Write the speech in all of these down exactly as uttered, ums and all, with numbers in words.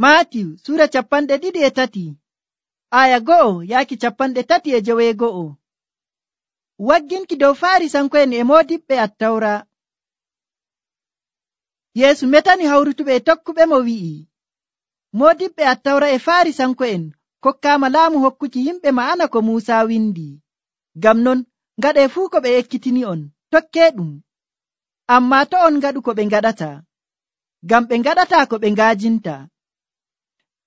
Maatiw sura capanɗe ɗiɗi e tati aya go'o yaaki capanɗe tati e joweego'o. Wagginki dow Faarisanko'en e moodiɓɓe Attawra. Yeesu metani hawrutuɓe e tokkuɓe mo wi'i, moodiɓɓe Attawra e Faarisanko'en kokkaama laamu hokkuki yimɓe ma'ana ko Muusa windi. Ngam non ngaɗee fuu ko ɓe ekkitini'on, tokkee ɗum. Ammaa to on ngaɗu ko ɓe ngaɗata, ngam ɓe ngaɗataa ko ɓe ngaajinta.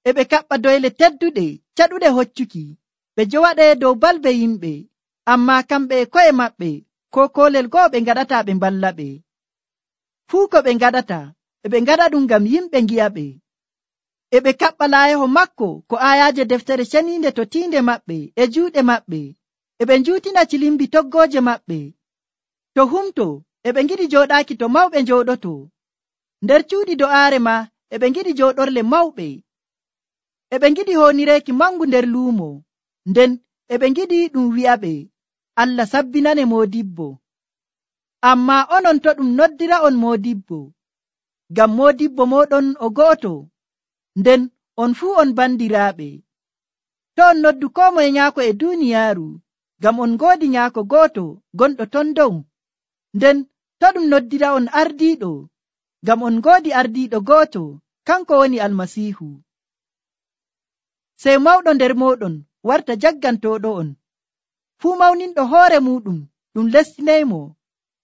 E ɓe kaɓɓa doyle tedduɗe caɗuɗe hoccuki, ɓe jowaɗee dow balbe yimɓe, ammaa kamɓe e ko'e maɓɓe ko koolel go'o ɓe ngaɗataa ɓe mballaɓe. Fuu ko ɓe ngaɗata e ɓe ngaɗa ɗum ngam yimɓe ngi'aɓe. E ɓe kaɓɓa laayaho makko ko aayaaje deftere ceniinde to tiinde maɓɓe e juuɗe maɓɓe, e ɓe njuutina cilimbi toggooje maɓɓe. To humto e ɓe ngiɗi jooɗaaki to mawɓe njooɗoto, nder cuuɗi do'aare ma e ɓe ngiɗi jooɗorle mawɓe. E ɓe ngiɗi hoonireeki mangu nder luumo, nden e ɓe ngiɗi ɗum wi'aɓe, Allah sabbinane moodibbo. Ammaa onon to ɗum noddira'on moodibbo, ngam moodibbo mooɗon o go'oto, nden on fuu on bandiraaɓe. To on noddu koo moye nyaako e duuniyaaru, ngam on ngoodi nyaako go'oto gonɗo ton dow, nden to ɗum noddira'on ardiiɗo, ngam on ngoodi ardiiɗo go'oto, kanko woni Almasiihu. Sey mawɗo nder mooɗon warta jaggantooɗo'on. Fuu mawninɗo hoore muuɗum ɗum lestinaymo,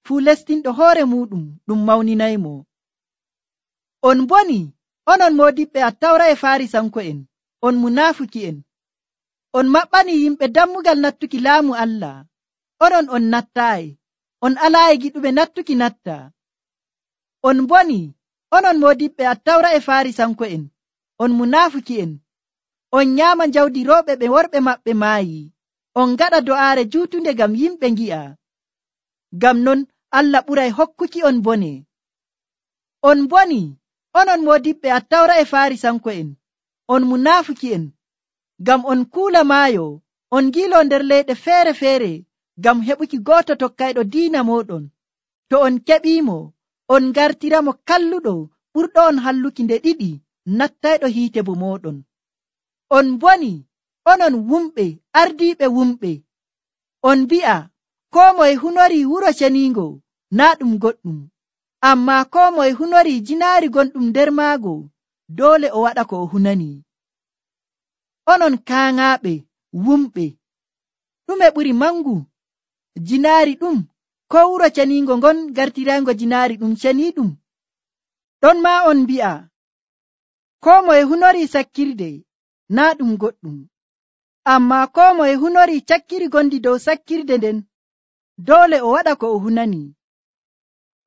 fuu lestinɗo hoore muuɗum ɗum mawninaymo. On boni, onon moodiɓɓe Attawra e Faarisanko'en, on munaafuki'en. On maɓɓani yimɓe dammugal nattuki laamu Allah. Onon on nattaayi, on alaayi giɗuɓe nattuki natta. On boni, onon moodiɓɓe Attawra e Faarisanko'en, on munaafuki'en. On nyaama jawdi rewɓe ɓe worɓe maɓɓe maayi. On ngaɗa do'aare juutunde ngam yimɓe ngi'a. Ngam non Allah ɓuray hokkuki on bone. On boni, onon moodiɓɓe Attawra e Faarisanko'en, on munaafuki'en. Ngam on kuula maayo, on ngiilo nder leyɗe feere-feere ngam heɓuki gooto tokkayɗo diina mooɗon. To on keɓiimo, on ngartiramo kalluɗo ɓurɗo on halluki nde ɗiɗi nattayɗo hiite bo mooɗon. On boni, onon wumɓe ardiiɓe wumɓe. On mbi'a, koo moye hunorii wuro ceniingo naa ɗum goɗɗum, ammaa koo moye hunorii jinaari gonɗum nder maago, doole o waɗa ko o hunani. Onon kaaŋaaɓe wumɓe, ɗume ɓuri mangu, jinaari ɗum koo wuro ceniingo ngon gartirayngo jinaari ɗum ceniiɗum? Ɗon maa on mbi'a, koo moye hunorii sakkirde naa ɗum goɗɗum, ammaa koo moye hunorii cakkiri gondi dow sakkirde nden, doole o waɗa ko o hunani.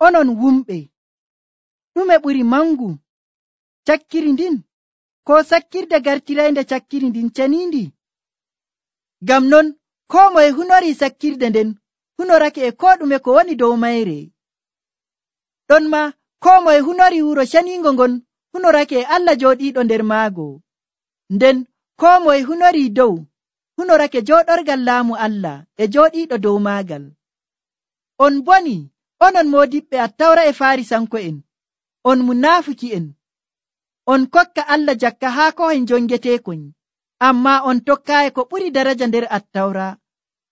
Onon wumɓe, ɗume ɓuri mangu, cakkiri ndin koo sakkirde gartiraynde cakkiri ndin ceniindi? Ngam non koo moye hunorii sakkirde nden hunorake e koo ɗume ko woni dow mayre. Ɗon ma koo moye hunorii wuro ceniingo ngon hunorake e Allah jooɗiiɗo nder maago, nden koo moye hunorii dow hunorake jooɗorgal laamu Allah e jooɗiiɗo dow maagal. On boni, onon moodiɓɓe Attawra e Faarisanko'en, on munaafuki'en. On kokka Allah jakka haa kohen jongeteekon, ammaa on tokkaayi ko ɓuri daraja nder Attawra,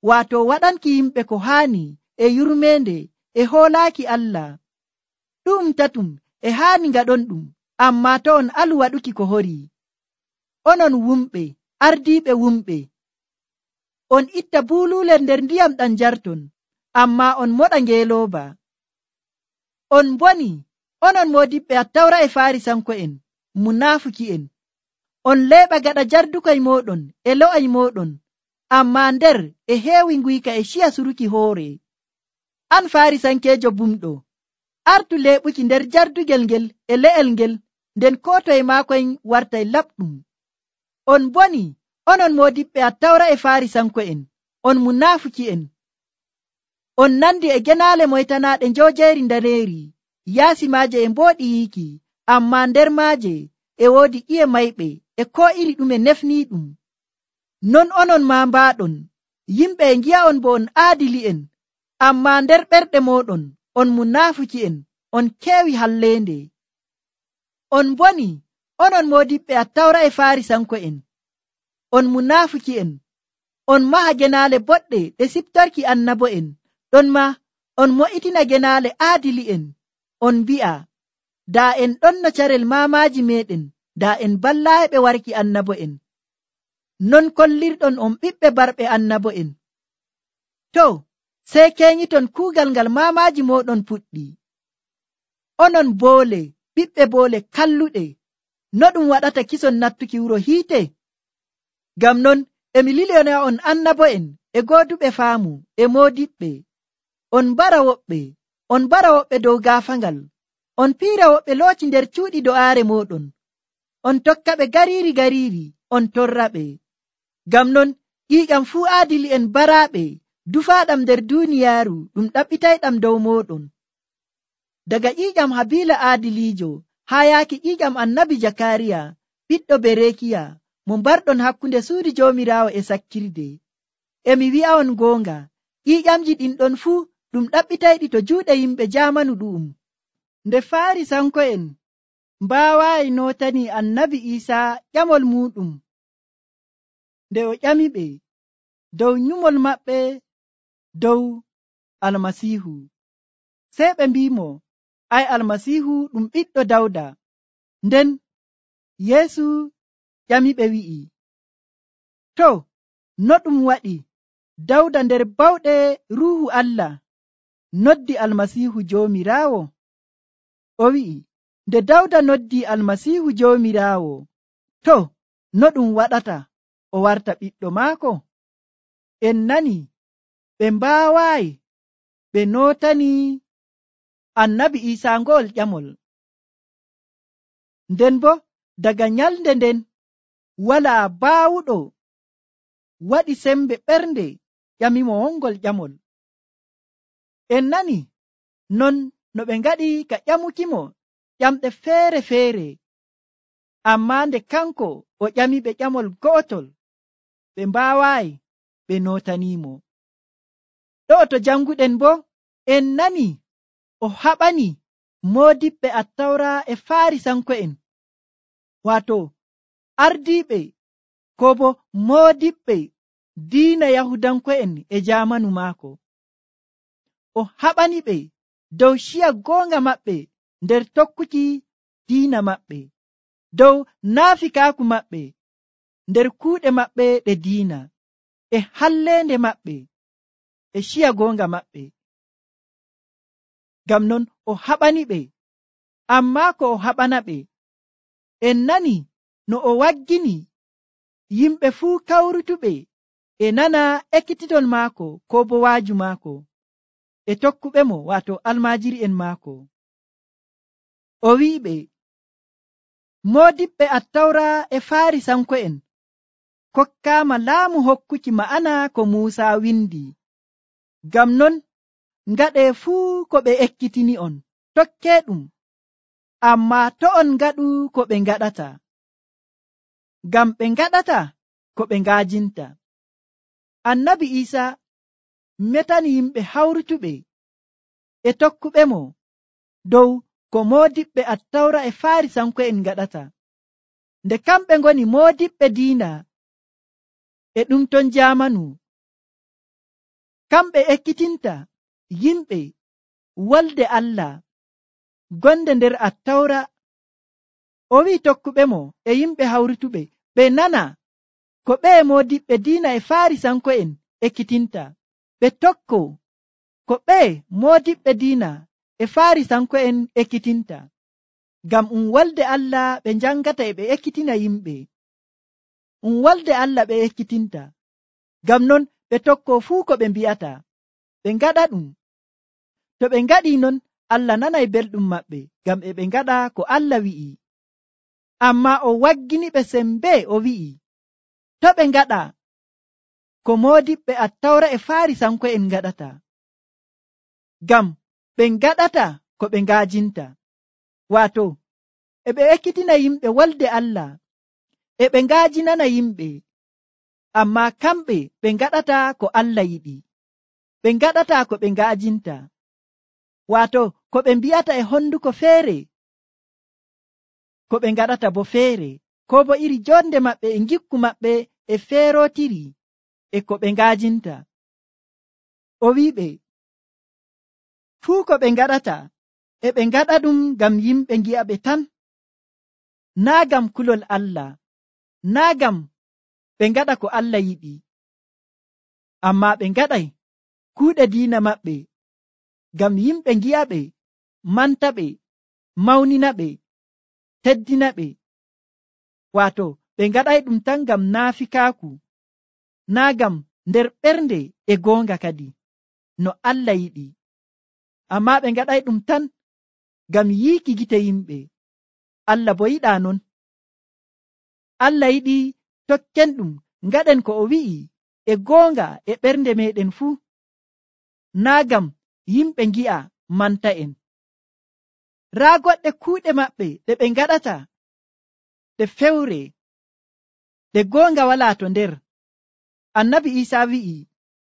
waato waɗanki yimɓe ko haani e yurmeende e hoolaaki Allah. Ɗum tatum e haani ngaɗon ɗum, ammaa to on alu waɗuki ko horii. Onon wumɓe ardiiɓe wumɓe, on itta buuluule nder ndiyam ɗam njarton, ammaa on moɗa ngeelooba. On boni, onon moodiɓɓe Attawra e Faarisanko'en, munaafuki'en. On leeɓa gaɗa jardukoy mooɗon e lo'ay mooɗon, ammaa nder e heewi nguyka e ciya suruki hoore. An Faarisankeejo bumɗo, artu leeɓuki nder jardugel ngel e le'el ngel, nden koo toye maakoy wartay laɓɗum. On boni, onon moodiɓɓe Attawra e Faarisanko'en, on munaafuki'en. On nandi e genaale moytanaaɗe njoojeeri ndaneeri, yaasi maaje e mbooɗi yiiki, ammaa nder maaje e woodi ƴiye mayɓe e koo iri ɗume nefniiɗum. Non onon maa mbaaɗon, yimɓe e ngi'a'on bo on aadili'en, ammaa nder ɓerɗe mooɗon on munaafuki'en, on keewi halleende. On boni, onon moodiɓɓe attawra e farisanko'en, on munaafuki'en, on maha genaale boɗɗe ɗe siftorki annabo'en, ɗon ma on mo'itina genaale aadili'en, on mbi'a, daa en ɗon no carel maamaaji meɗen, daa en ballaaɓe warki annabo'en. Non kollirɗon on ɓiɓɓe barɓe annabo'en. To, sey keñiton kuugal ngal maamaaji mooɗon puɗɗi. Onon boole, ɓiɓɓe boole kalluɗe, no ɗum waɗata kison nattuki wuro hiite? Ngam non emi liliyona on annabo'en e gooduɓe faamu e moodiɓɓe. On mbara woɓɓe, on mbara woɓɓe dow gaafangal, on piira woɓɓe looci nder cuuɗi do'aare mooɗon, on tokka ɓe gariiri gariiri, on torraɓe. Ngam non ƴiiƴam fuu aadili'en baraaɓe dufaaɗam nder duuniyaaru ɗum ɗaɓɓitayɗam dow mooɗon. Daga ƴiiƴam Habiila aadiliijo haa yaaki ƴiiƴam annabi Jakariya ɓiɗɗo Berekiya mo mbarɗon hakkunde suudu Joomiraawo e sakkirde. Emi wi'a'on goonga, ƴiiƴamji ɗin ɗon fuu ɗum ɗaɓɓitayɗi to juuɗe yimɓe jaamanu ɗu'um. Nde Faarisanko'en mbaawaayi nootani annabi Iisaa ƴamol muuɗum, nde o ƴamiɓe dow nyumol maɓɓe dow Almasiihu, sey ɓe mbimo, ay Almasiihu ɗum ɓiɗɗo Dawda. Nden Yeesu ƴamiɓe wi'i, to, no ɗum waɗi Dawda nder bawɗe Ruuhu Allah noddi Almasiihu Joomiraawo? O wi'i, nde Dawda noddi Almasiihu Joomiraawo, to, no ɗum waɗata o warta ɓiɗɗo maako? En nani ɓe mbaawaayi ɓe nootani annabi Iisaa ngo'ol ƴamol. Nden bo daga nyalnde nden walaa baawuɗo waɗi sembe ɓernde ƴamimo wongol ƴamol. En nani non no ɓe ngaɗi ka ƴamukimo ƴamɗe feere-feere, ammaa nde kanko o ƴamiɓe ƴamol go'otol, ɓe mbaawaayi ɓe nootanimo. Ɗo to janguɗen bo en nani o haɓani moodiɓɓe attawra e Faarisanko'en, waato ardiiɓe ko bo moodiɓɓe diina Yahudanko'en e jaamanu maako. O haɓani ɓe dow ciya goonga maɓɓe nder tokkuki diina maɓɓe, dow naafikaaku maɓɓe nder kuuɗe maɓɓe ɗe diina, e halleende maɓɓe e ciya goonga maɓɓe. Ngam non o haɓani ɓe, ammaa ko o haɓana ɓe, en nani no o waggini yimɓe fuu kawrutuɓe e nana ekkititol maako ko bo waaju maako e tokkuɓe mo, waato almaajiri'en maako. O wi'iɓe, moodiɓɓe attawra e Faarisanko'en kokkaama laamu hokkuki ma'ana ko Muusa windi. Ngam non ngaɗee fuu ko ɓe ekkitini on, tokkee ɗum, ammaa to on ngaɗu ko ɓe ngaɗata, ngam ɓe ngaɗata ko ɓe ngaajinta. Annabi Iisaa metani yimɓe hawrutuɓe e tokkuɓe mo dow ko moodiɓɓe attawra e Faarisanko'en ngaɗata, nde kamɓe ngoni moodiɓɓe diina e ɗum ton jaamanu. Kamɓe ekkitinta yimɓe wolde Allah gonde nder attawra. O wi'i tokkuɓe mo e yimɓe hawrutuɓe ɓe nana ko ɓeye moodiɓɓe diina e Faarisanko'en ekkitinta, ɓe tokko ko ɓeye moodiɓɓe diina e Faarisanko'en ekkitinta, ngam um wolde Allah ɓe njangata e ɓe ekkitina yimɓe. Um wolde Allah ɓe ekkitinta, ngam non ɓe tokko fuu ko ɓe mbi'ata, ɓe ngaɗa ɗum. To ɓe ngaɗi non, Allah nanay belɗum maɓɓe, ngam e ɓe ngaɗa ko Allah wi'i. Ammaa o waggini ɓe sembe, o wi'i, to ɓe ngaɗa ko moodiɓɓe attawra e Faarisanko'en ngaɗata, ngam ɓe ngaɗata ko ɓe ngaajinta, waato e ɓe ekkitina yimɓe wolde Allah, e ɓe ngaajinana yimɓe, ammaa kamɓe ɓe ngaɗata ko Allah yiɗi, ɓe ngaɗata ko ɓe ngaajinta, waato ko ɓe mbi'ata e honduko feere. ko ɓe ngaɗata bo feere, ko bo iri jonde maɓɓe e gikku maɓɓe e feerotiri e ko ɓe ngaajinta. O wiɓe fuu ko ɓe ngaɗata e ɓe ngaɗa ɗum ngam yimɓe ngi'a ɓe tan, naa ngam kulol Allah, naa ngam ɓe ngaɗa ko Allah yiɗi, amma ɓe ngaɗay kuuɗe diina maɓɓe ngam yimɓe ngi'a ɓe, manta ɓe, mawnina ɓe, teddina ɓe. Waato ɓe ngaɗay ɗum tan ngam naafikaaku, naa ngam nder ɓernde e goonga kadi no Allah yiɗi, amma ɓe ngaɗay ɗum tan ngam yiiki gite yimɓe. Allah bo yiɗaa non. Allah yiɗi tokken ɗum ngaɗen ko o wi'i e goonga e ɓernde meɗen fuu, naa ngam yimɓe ngi'a manta en. Raa goɗɗe kuuɗe maɓɓe ɗe ɓe ngaɗata ɗe fewre, ɗe goonga walaa to nder. Annabi Iisaa wi'i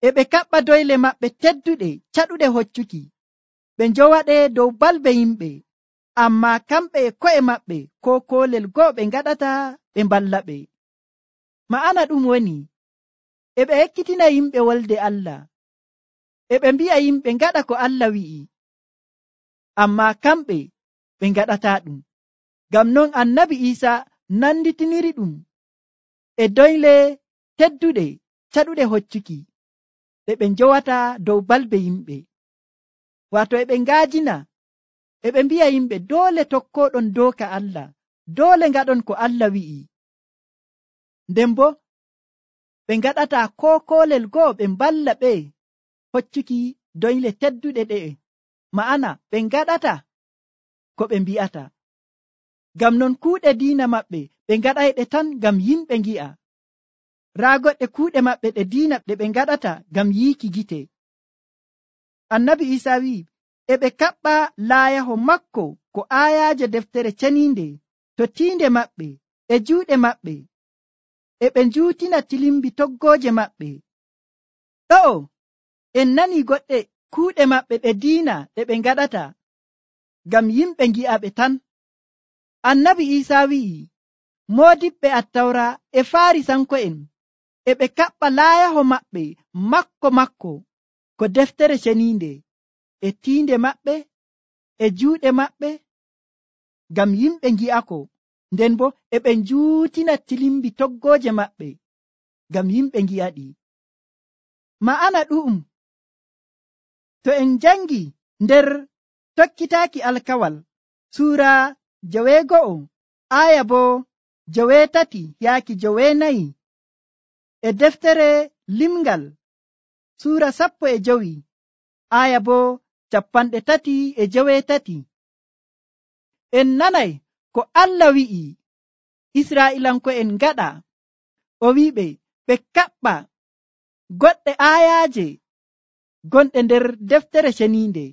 e ɓe kaɓɓa doyle maɓɓe tedduɗe caɗuɗe hoccuki, ɓe njowaɗe dow balbe yimɓe, amma kamɓe e ko'e maɓɓe ko koolel go'o ɓe ngaɗata ɓe mballa ɓe. Ma'ana ɗum woni e ɓe ekkitina yimɓe wolde Allah, e ɓe mbi'a yimɓe ngaɗa ko Allah wi'i, amma kamɓe ɓe ngaɗata ɗum. Ngam non Annabi Iisaa nanditiniri ɗum e doyle tedduɗe caɗuɗe hoccuki ɗe ɓe njowata dow balbe yimɓe. Waato e ɓe ngaajina, e ɓe mbi'a yimɓe doole tokkoɗon dooka Allah, doole ngaɗon ko Allah wi'i. Nden bo ɓe ngaɗata ko koolel go'o ɓe mballa ɓe hoccuki doyle tedduɗe ɗe'e, ma'ana ɓe ngaɗata ko ɓe mbi'ata. Ngam non kuuɗe diina maɓɓe ɓe ngaɗayɗe tan ngam yimɓe ngi'a. Raa goɗɗe kuuɗe maɓɓe ɗe diina ɗe ɓe ngaɗata ngam yiiki gite. Annabi Iisaa wi'i e ɓe kaɓɓa laayaho makko ko aayaaje deftere ceniinde to tiinde maɓɓe e juuɗe maɓɓe, e ɓe njuutina tilimbi toggooje maɓɓe. Ɗo'o en nani goɗɗe kuuɗe maɓɓe ɗe diina ɗe ɓe ngaɗata ngam yimɓe ngi'a ɓe tan. Annabi Iisaa wi'i moodiɓɓe Attawra e Faarisanko'en e ɓe kaɓɓa laayaho maɓɓe makko makko ko deftere ceniinde e tiinde maɓɓe e juuɗe maɓɓe ngam yimɓe ngi'ako, nden bo e ɓe njuutina tilimbi toggooje maɓɓe ngam yimɓe ngi'aɗi. Ma'ana ɗu'um to en jangi nder tokkitaaki alkawal suura joweego'o aya bo joweetati yaaki joweenayi, e deftere limgal suura sappo e jowi aya bo capanɗe tati e joweetati, en nanay ko Allah wi'i Israa'ilanko'en ngaɗa. O wi'iɓe ɓe kaɓɓa goɗɗe ayaaje gonɗe nder deftere ceniinde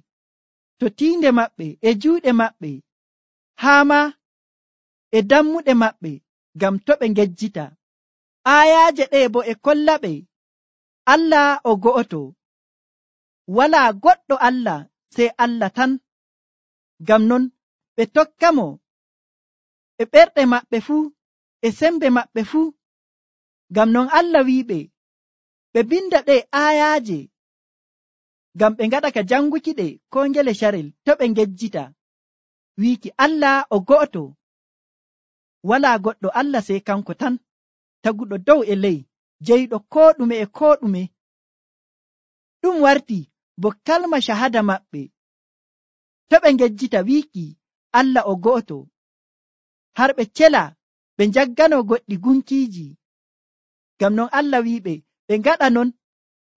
to tiinde maɓɓe e juuɗe maɓɓe, haa ma e dammuɗe maɓɓe ngam to ɓe ngejjita. Ayaaje ɗe bo e kolla ɓe Allah o go'oto, walaa goɗɗo Allah sey Allah tan. Ngam non ɓe tokka mo e ɓerɗe maɓɓe fuu e sembe maɓɓe fuu. Ngam non Allah wi'iɓe ɓe binda ɗe ayaaje ngam ɓe ngaɗa ka janguki ɗe ko ngele carel to ɓe ngejjita, wiiki Allah o go'oto, walaa goɗɗo Allah sey kanko tan, taguɗo dow e ley, jeyɗo ko ɗume e ko ɗume. Ɗum warti bo kalma shahada maɓɓe to ɓe ngejjita wiiki Allah o go'oto, har ɓe cela ɓe njaggano goɗɗi gunkiiji. Ngam non Allah wi'iɓe ɓe ngaɗa non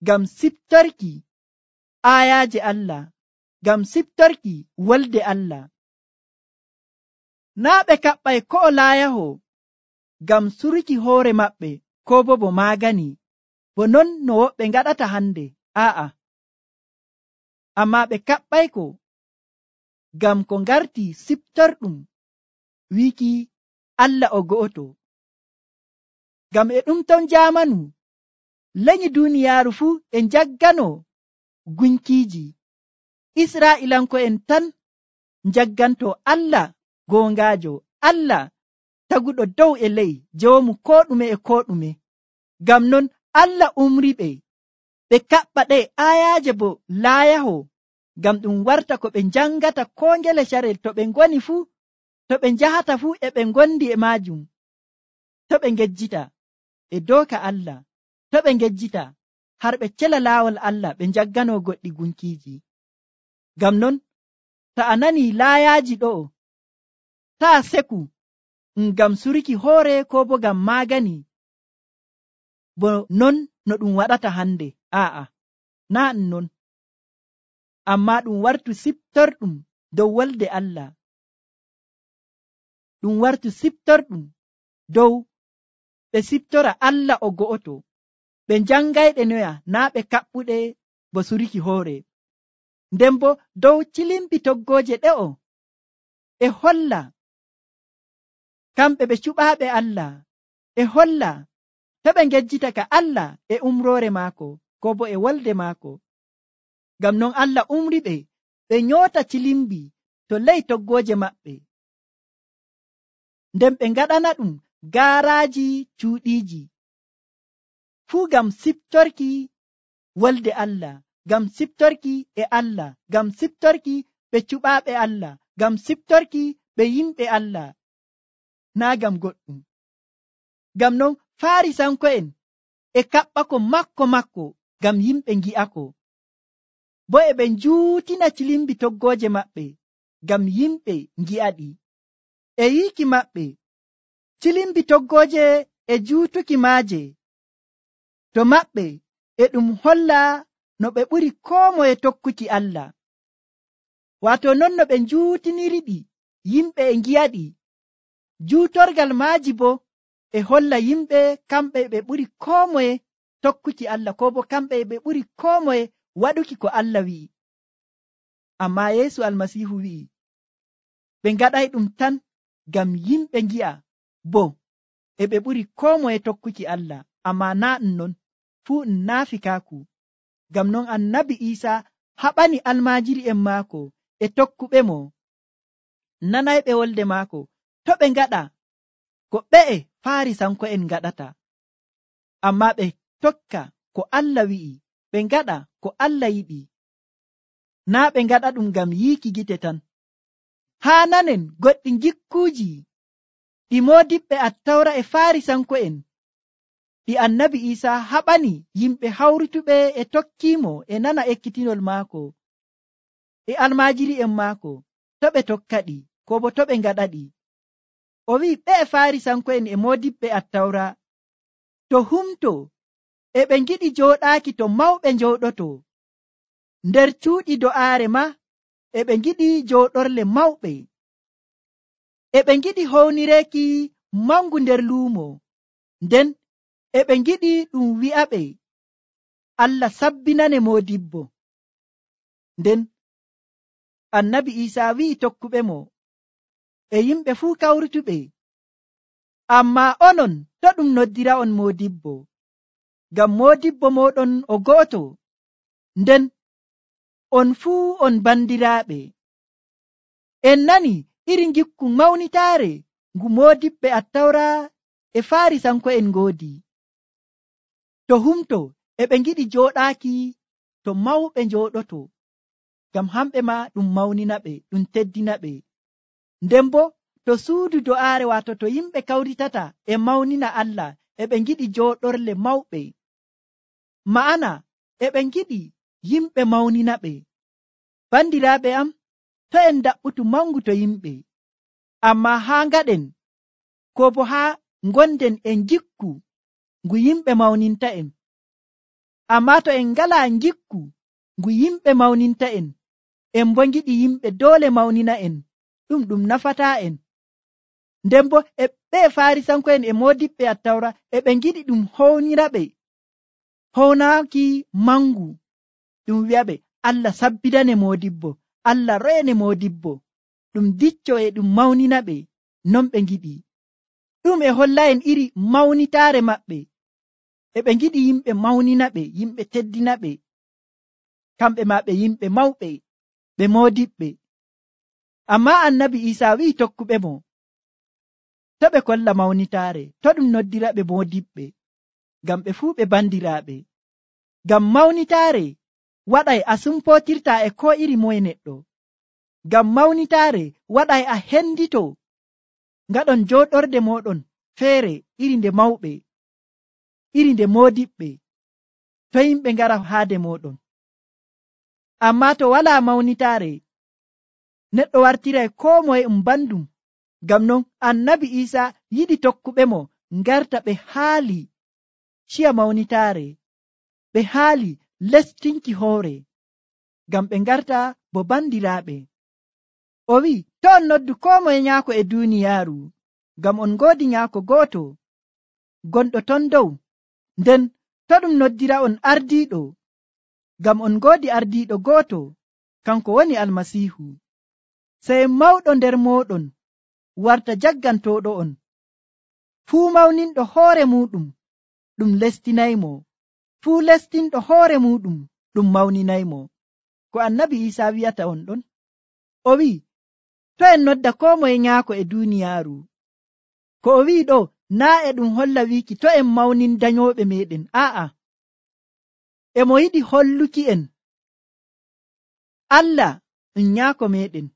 ngam siftorki ayaaje Allah, ngam siftorki wolde Allah. Naa ɓe kaɓɓay ko'o laayaho ngam suruki hoore maɓɓe ko bo bo maagani, bo non no woɓɓe ngaɗata hande, aa'a, amma ɓe kaɓɓayko ngam ko ngarti siftorɗum wiiki Allah o go'oto. Ngam e ɗum ton jaamanu lenyi duuniyaaru fuu e njaggano gunkiiji, Israa'ilanko'en tan njagganto Allah goongaajo, Allah taguɗo dow e ley, joomu ko ɗume e ko ɗume. Ngam non Allah umriɓe ɓe kaɓɓa ɗe ayaaje bo laayaho, ngam ɗum warta ko ɓe njangata ko ngele carel to ɓe ngoni fuu, to ɓe njahata fuu e ɓe ngondi e maajum, to ɓe ngejjita e dooka Allah, to ɓe ngejjita har ɓe cela laawol Allah ɓe njaggano goɗɗi gunkiiji. Ngam non to a nani laayaaji ɗo'o, taa seku ngam suruki hoore ko bo ngam maagani bo non no ɗum waɗata hande. A'a, naa non, amma ɗum wartu siptorɗum dow wolde Allah, ɗum wartu siptorɗum dow ɓe siptora Allah o go'oto, ɓe njangayɗe noya naa ɓe kaɓɓuɗe bo suruki hoore. Nden bo dow cilimbi toggooje ɗe'o e holla kamɓe ɓe cuɓaaɓe Allah, e holla to ɓe ngejjita ka Allah e umroore maako ko bo e wolde maako. Ngam non Allah umri ɓe ɓe nyoota cilimbi to ley toggooje maɓɓe, nden ɓe ngaɗana ɗum gaaraaji cuuɗiiji, fuu ngam siptorki wolde Allah, ngam siptorki e Allah, ngam siptorki ɓe cuɓaaɓe Allah, ngam siptorki ɓe yimɓe Allah, naa ngam goɗɗum. Ngam non Farisanko'en e kaɓɓako makko makko ngam yimɓe ngi'ako, bo e ɓe njuutina cilimbi toggooje maɓɓe ngam yimɓe ngi'aɗi. E yiiki maɓɓe cilimbi toggooje e juutuki maaje to maɓɓe e ɗum holla no ɓe ɓuri koo moye tokkuki Allah, waato non no ɓe njuutiniriɗi yimɓe e ngi'aɗi. Juutorgal maaji bo e holla yimɓe kamɓe ɓe ɓuri koo moye tokkuki Allah, ko bo kamɓe ɓe ɓuri koo moye waɗuki ko Allah wi'i. Amma Yeesu Almasiihu wi'i ɓe ngaɗay ɗum tan ngam yimɓe ngi'a bo e ɓe ɓuri koo moye tokkuki Allah, amma naa ɗum non, fuu ɗum naafikaaku. Ngam non Annabi Iisaa haɓani almaajiri'en maako e tokkuɓe mo, nanayɓe wolde maako, to ɓe ngaɗa ko ɓe'e Farisanko'en ngaɗata, amma ɓe tokka ko Allah wi'i, ɓe ngaɗa ko Allah yiɗi, naa ɓe ngaɗa ɗum ngam yiiki gite tan. Haa nanen goɗɗi gikkuuji ɗi moodiɓɓe Attawra e Farisanko'en ɗi Annabi Iisaa haɓani yimɓe hawrutuɓe e tokkiimo e nana ekkitinol maako e almaajiri'en maako, to ɓe tokkaɗi ko bo to ɓe ngaɗaɗi. O wi'i ɓe Farisanko'en e moodiɓɓe Attawra to humto e ɓe ngiɗi jooɗaaki to mawɓe njooɗoto, nder cuuɗi do'aare ma e ɓe ngiɗi jooɗorle mawɓe, e ɓe ngiɗi hownireeki mangu nder luumo, nden e ɓe ngiɗi ɗum wi'aɓe Allah sabbinane moodibbo. Nden Annabi Iisaa wi'i tokkuɓe mo e yimɓe fuu kawrutuɓe, amma onon to ɗum noddira on moodibbo, ngam moodibbo mooɗon o go'oto, nden on fuu on bandiraaɓe. En nani iri ngikku mawnitaare ngu moodiɓɓe Attawra e Farisanko'en ngoodi. To humto e ɓe ngiɗi jooɗaaki to mawɓe njooɗoto, ngam hamɓe ma ɗum mawnina ɓe, ɗum teddina ɓe. Nden bo to suudu do'aare, waato to yimɓe kawritata e mawnina Allah, e ɓe ngiɗi jooɗorle mawɓe, ma'ana e ɓe ngiɗi yimɓe mawnina ɓe. Bandiraaɓe am, to en daɓɓutu mangu to yimɓe, amma haa ngaɗen ko bo haa ngonden en gikku ngu yimɓe mawninta en. Amma to en ngalaa ngikku ngu yimɓe mawninta en, en bo ngiɗi yimɓe doole mawnina en, ɗum ɗum nafataa en. Nden bo e ɓe Farisanko'en e moodiɓɓe Attawra e ɓe ngiɗi ɗum hownira ɓe, hownaaki mangu, ɗum wi'aɓe Allah sabbidane moodibbo, Allah reene moodibbo, ɗum dicco e ɗum mawnina ɓe non ɓe ngiɗi. Ɗum e holla en iri mawnitaare maɓɓe, e ɓe ngiɗi yimɓe mawnina ɓe, yimɓe teddina ɓe, kamɓe ma ɓe yimɓe mawɓe, ɓe moodiɓɓe. Amma Annabi Iisaa wi'i tokkuɓe mo, to ɓe kolla mawnitaare to ɗum noddira ɓe moodiɓɓe ngam ɓe fuu ɓe bandiraaɓe. Ngam mawnitaare waɗay a sumpotirta e ko iri moye neɗɗo. Ngam mawnitaare waɗay a hendito ngaɗon jooɗorde moɗon feere iri nde mawɓe, iri nde moodiɓɓe, to yimɓe ngara haade moɗon. Ammaa to walaa mawnitaare neɗɗo wartiray koo moye um bandum. Ngam non annabi Iisaa yiɗi tokkuɓe mo ngarta ɓe haali ciya mawnitaare, ɓe haali lestinki hoore, ngam ɓe ngarta bo bandiraaɓe. O wi'i, to on noddu koo moye nyaako e duuniyaaru, ngam on ngoodi nyaako gooto gonɗo ton dow. Nden to ɗum noddira on ardiiɗo, ngam on ngoodi ardiiɗo gooto, kanko woni Almasiihu. Sey mawɗo nder mooɗon warta jaggantooɗo on. Fuu mawninɗo hoore muuɗum ɗum lestinaymo, fuu lestinɗo hoore muuɗum ɗum mawninaymo. Ko annabi Iisaa wi'ata on ɗon. O wi'i, to en nodda koo moye nyaako e duuniyaaru. Ko o wi'i ɗo naa e ɗum holla wiiki to en mawnin danyooɓe meeɗen. Aa'a, e mo yiɗi holluki en Allah ɗum nyaako meeɗen.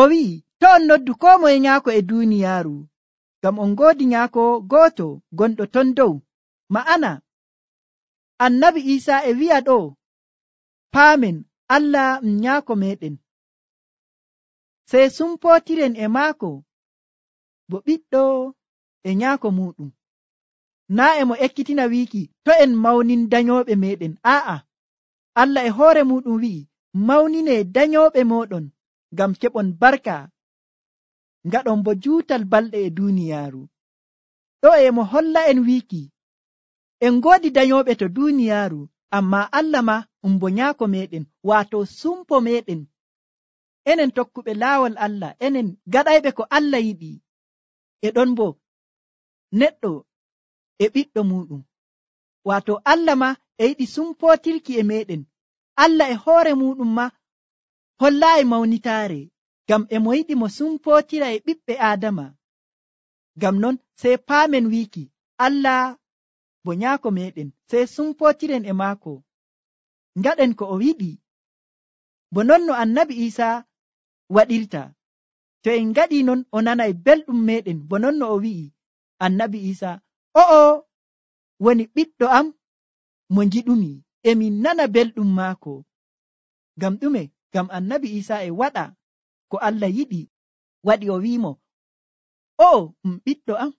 O wi'i, to on noddu koo moye nyaako e duuniyaaru, ngam on ngoodi nyaako gooto gonɗo ton dow. Ma'ana, annabi Iisaa e wi'a ɗo, paamen Allah ɗum nyaako meeɗen, sey sumpootiren e maako bo ɓiɗɗo e nyaako muuɗum. Naa e mo ekkitina wiiki to en mawnin danyooɓe meeɗen. Aa'a, Allah e hoore muuɗum wi'i, mawnine danyooɓe mooɗon ngam keɓon barka, ngaɗon bo juutal balɗe e duuniyaaru. Ɗo e mo holla en wiiki en ngoodi danyooɓe to duuniyaaru, ammaa Allah ma um bo nyaako meeɗen, waato sumpo meeɗen. Enen tokkuɓe laawol Allah, enen gaɗayɓe ko Allah yiɗi, e ɗon bo neɗɗo e ɓiɗɗo muuɗum. Waato Allah ma e yiɗi sumpootirki e meeɗen. Allah e hoore muuɗum ma hollaayi mawnitaare, ngam e mo yiɗi mo sumpootira e ɓiɓɓe Aadama. Ngam non sey paamen wiiki Allah bo nyaako meeɗen, sey sumpootiren e maako, ngaɗen ko o yiɗi, bo non no annabi Iisaa waɗirta. To en ngaɗii non o nanay belɗum meeɗen, bo non no o wi'i annabi Iisaa, o'o woni ɓiɗɗo am mo ngiɗumi, emi nana belɗum maako. Ngam ɗume? Ngam annabi Iisaa e waɗa ko Allah yiɗi, waɗi o wi'imo, o'o um ɓiɗɗo am.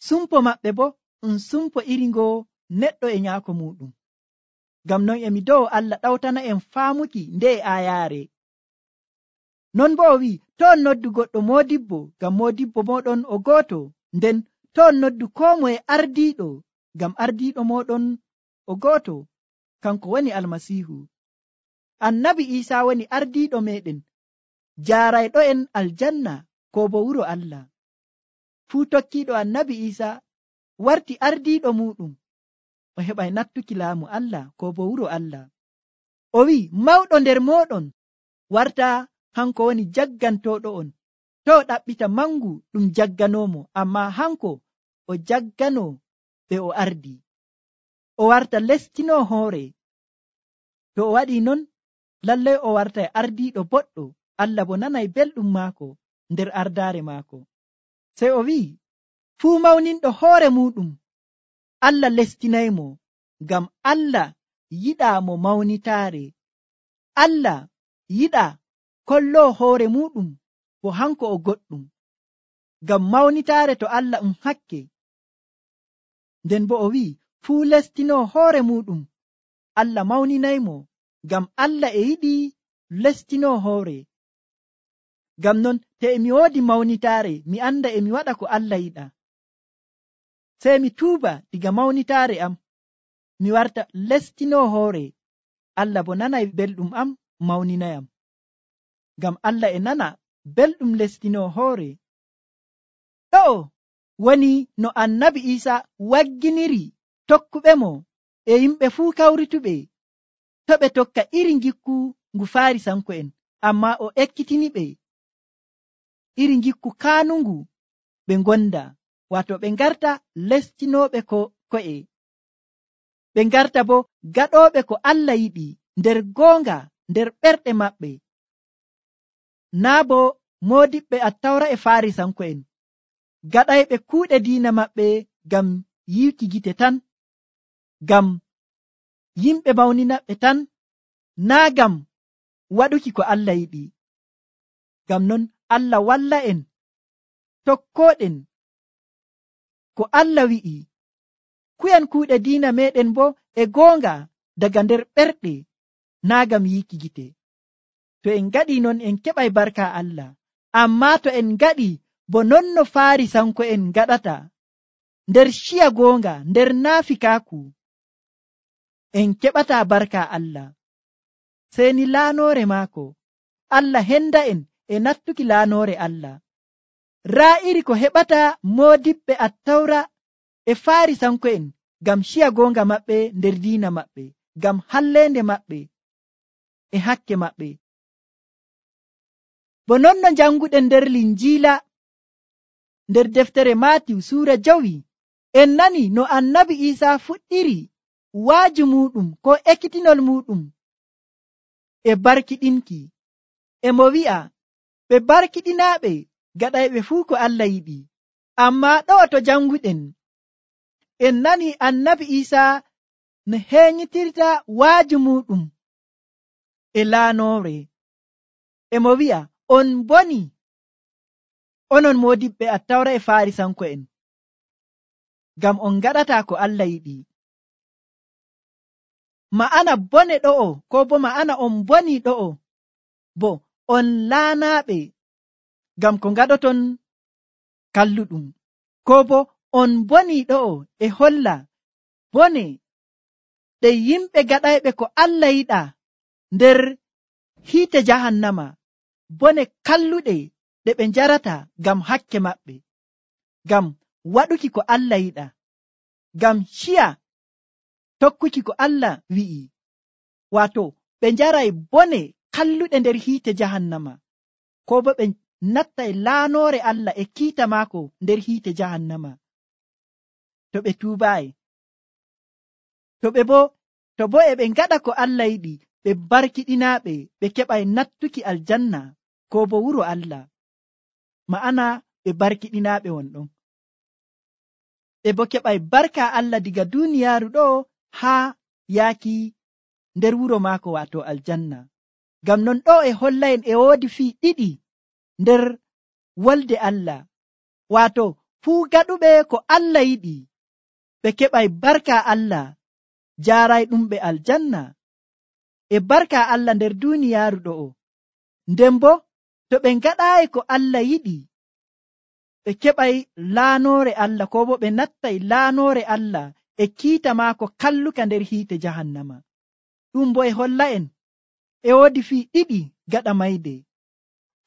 Sumpo maɓɓe bo um sumpo iri ngoo neɗɗo e nyaako muuɗum. Ngam non emi dow Allah ɗawtana en faamuki nde e aayaare. Non bo o wi'i, to on noddu goɗɗo moodibbo, ngam moodibbo mooɗon o gooto. Nden to on noddu koo moye ardiiɗo, ngam ardiiɗo mooɗon o gooto, kanko woni Almasiihu. Annabi Iisaa woni ardiiɗo meeɗen, jaarayɗo en aljanna ko bo wuro Allah. Fuu tokkiiɗo annabi Iisaa warti ardiiɗo muuɗum, o heɓay nattuki laamu Allah ko bo wuro Allah. O wi'i, mawɗo nder mooɗon warta hanko woni jaggantooɗo on. To o ɗaɓɓita mangu ɗum jagganoomo, ammaa hanko o jagganoo ɓe o ardi. O warta lestinoo hoore. To o waɗii non, lallay o wartay ardiiɗo boɗɗo. Allah bo nanay belɗum maako nder ardaare maako. Sey o wi'i, fuu mawninɗo hoore muuɗum Allah lestinaymo, ngam Allah yiɗaa mo mawnitaare. Allah yiɗaa kolloo hoore muuɗum bo hanko o goɗɗum. Ngam mawnitaare to Allah um hakke. Nden bo o wi'i, fuu lestinoo hoore muuɗum Allah mawninaymo, ngam Allah e yiɗi lestinoo hoore. Ngam non te emi woodi mawnitaare, mi anda emi waɗa ko Allah yiɗa. Sey mi tuuba diga mawnitaare am, mi warta lestinoo hoore. Allah bo nanay belɗum am mawninayam. Ngam Allah e nana belɗum lestinoo hoore. Ɗo woni no annabi Iisaa wagginiri tokkuɓe mo e yimɓe fuu kawrituɓe, to ɓe tokka iri ngikku ngu Faarisanko'en, ammaa o ekkitiniɓe iri ngikku kaanungu ɓe gonda, wato ɓe ngarta lestinooɓe ko ko'e, ɓe ngarta bo gaɗooɓe ko Allah yiɗi nder goonga nder ɓerɗe maɓɓe. Naa bo moodiɓɓe attawra e farisanko'en gaɗayɓe kuuɗe diina maɓɓe ngam yiwki gite tan, ngam yimɓe mawninaɓe tan, naa ngam waɗuki ko Allah yiɗi. Ngam non Allah walla en tokkooɗen ko Allah wi'i, kuyan kuuɗe diina meɗen bo e goonga daga nder ɓerɗe, naa ngam yiiki gite. To en ngaɗi non en keɓay barka Allah, amma to en ngaɗi bo non no farisanko'en ngaɗata nder ciya goonga nder naafikaaku, en keɓata barka Allah. Seni laanoore maako Allah henda en e nattuki laanoore Allah. Raa iri ko heɓata moodiɓɓe attawra e farisanko'en ngam ciya goonga maɓɓe nder diina maɓɓe, ngam halleende maɓɓe e hakke maɓɓe. Bo non no janguɗen nder linjiila nder deftere Maatiw suura jowi, en nani no annabi Iisaa fuɗɗiri waaju muɗum ko ekkitinol muɗum e barkiɗinki, e mo wi'a ɓe barkiɗinaaɓe gaɗayɓe fuu ko Allah yiɗi. Amma ɗo to janguɗen en nani annabi Iisaa no heeñitirta waaju muɗum e laanoore, e mo wi'a on boni onon moodiɓɓe attawra e farisanko'en, ngam on ngaɗata ko Allah yiɗi. Ma'ana bone ɗo'o, ko bo ma'ana on boni ɗo'o, bo on laanaaɓe ngam ko ngaɗoton kalluɗum, ko bo on boni ɗo'o e holla bone ɗe yimɓe gaɗayɓe ko Allah yiɗa nder hiite jahannama, bone kalluɗe ɗe ɓe njarata ngam hakke maɓɓe, ngam waɗuki ko Allah yiɗa, ngam ciya tokkuki ko Allah wi'i. Wato ɓe njaray bone kalluɗe nder hiite jahannama, ko bo ɓe nattay laanoore Allah e kiita maako nder hiite jahannama, to ɓe tuubaay. To ɓe bo to bo e ɓe ngaɗa ko Allah yiɗi, ɓe barkiɗinaaɓe ɓe keɓay nattuki aljanna ko bo wuro Allah. Ma'ana ɓe barkiɗinaaɓe wonɗon, ɓe bo keɓay barka Allah diga duuniyaaru ɗo haa yaaki nder wuro maako, wato aljanna. Ngam non ɗo e hollaen e woodi fii ɗiɗi nder wolde Allah, wato fuu gaɗuɓe ko Allah yiɗi ɓe keɓay barka Allah jaaray ɗum ɓe aljanna e barka Allah nder duuniyaaru ɗo'o. Nden bo to ɓe ngaɗaayi ko Allah yiɗi, ɓe keɓay laanoore Allah, ko bo ɓe nattay laanoore Allah e kiita maako kalluka nder hiite jahannama. Ɗum bo e holla en e woodi fii ɗiɗi gaɗa mayde.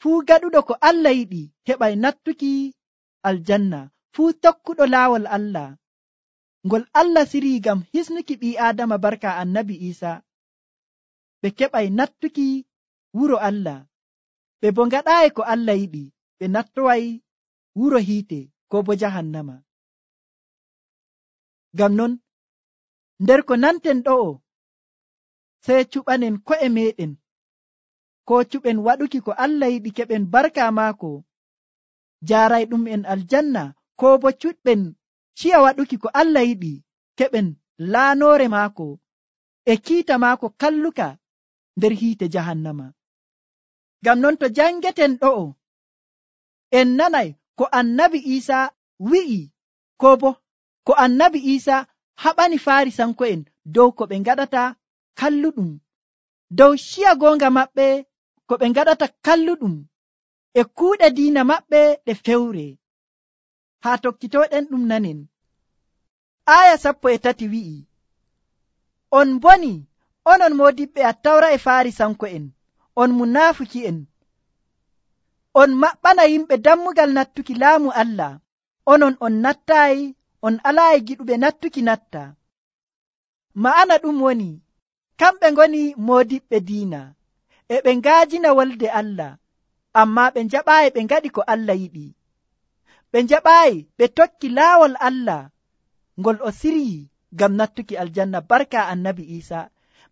Fuu gaɗuɗo ko Allah yiɗi heɓay nattuki aljanna, fuu tokkuɗo laawol Allah ngol Allah sirii ngam hisnuki ɓii Aadama barka annabi Iisaa, ɓe keɓay nattuki wuro Allah. Ɓe bo ngaɗaayi ko Allah yiɗi, ɓe nattoway wuro hiite ko bo jahannama. Ngam non nder ko nanten ɗo'o, sey cuɓanen ko'e meɗen, ko cuɓen waɗuki ko Allah yiɗi keɓen barka maako jaaray ɗum en aljanna, ko bo cuɗɓen ciya waɗuki ko Allah yiɗi keɓen laanoore maako e kiita maako kalluka nder hiite jahannama. Ngam non to jangeten ɗo'o, en nanay ko annabi Iisaa wi'i, ko bo ko annabi Iisaa haɓani farisanko'en dow ko ɓe ngaɗata kalluɗum, dow ciya goonga maɓɓe ko ɓe ngaɗata kalluɗum e kuuɗe diina maɓɓe ɗe fewre. Haa tokkitoɗen ɗum nanen. Aya sappo e tati wi'i, on boni onon moodiɓɓe attawra e farisanko'en, on munaafiki'en, on maɓɓana yimɓe dammugal nattuki laamu Allah, onon on nattaayi, on alaayi giɗuɓe nattuki natta. Ma'ana ɗum woni, kamɓe ngoni moodiɓɓe diina, e ɓe ngaajina wolde Allah, amma ɓe njaɓaayi ɓe ngaɗi ko Allah yiɗi. ɓe njaɓaayi ɓe tokki laawol Allah ngol o siryi ngam nattuki aljanna barka annabi Isa.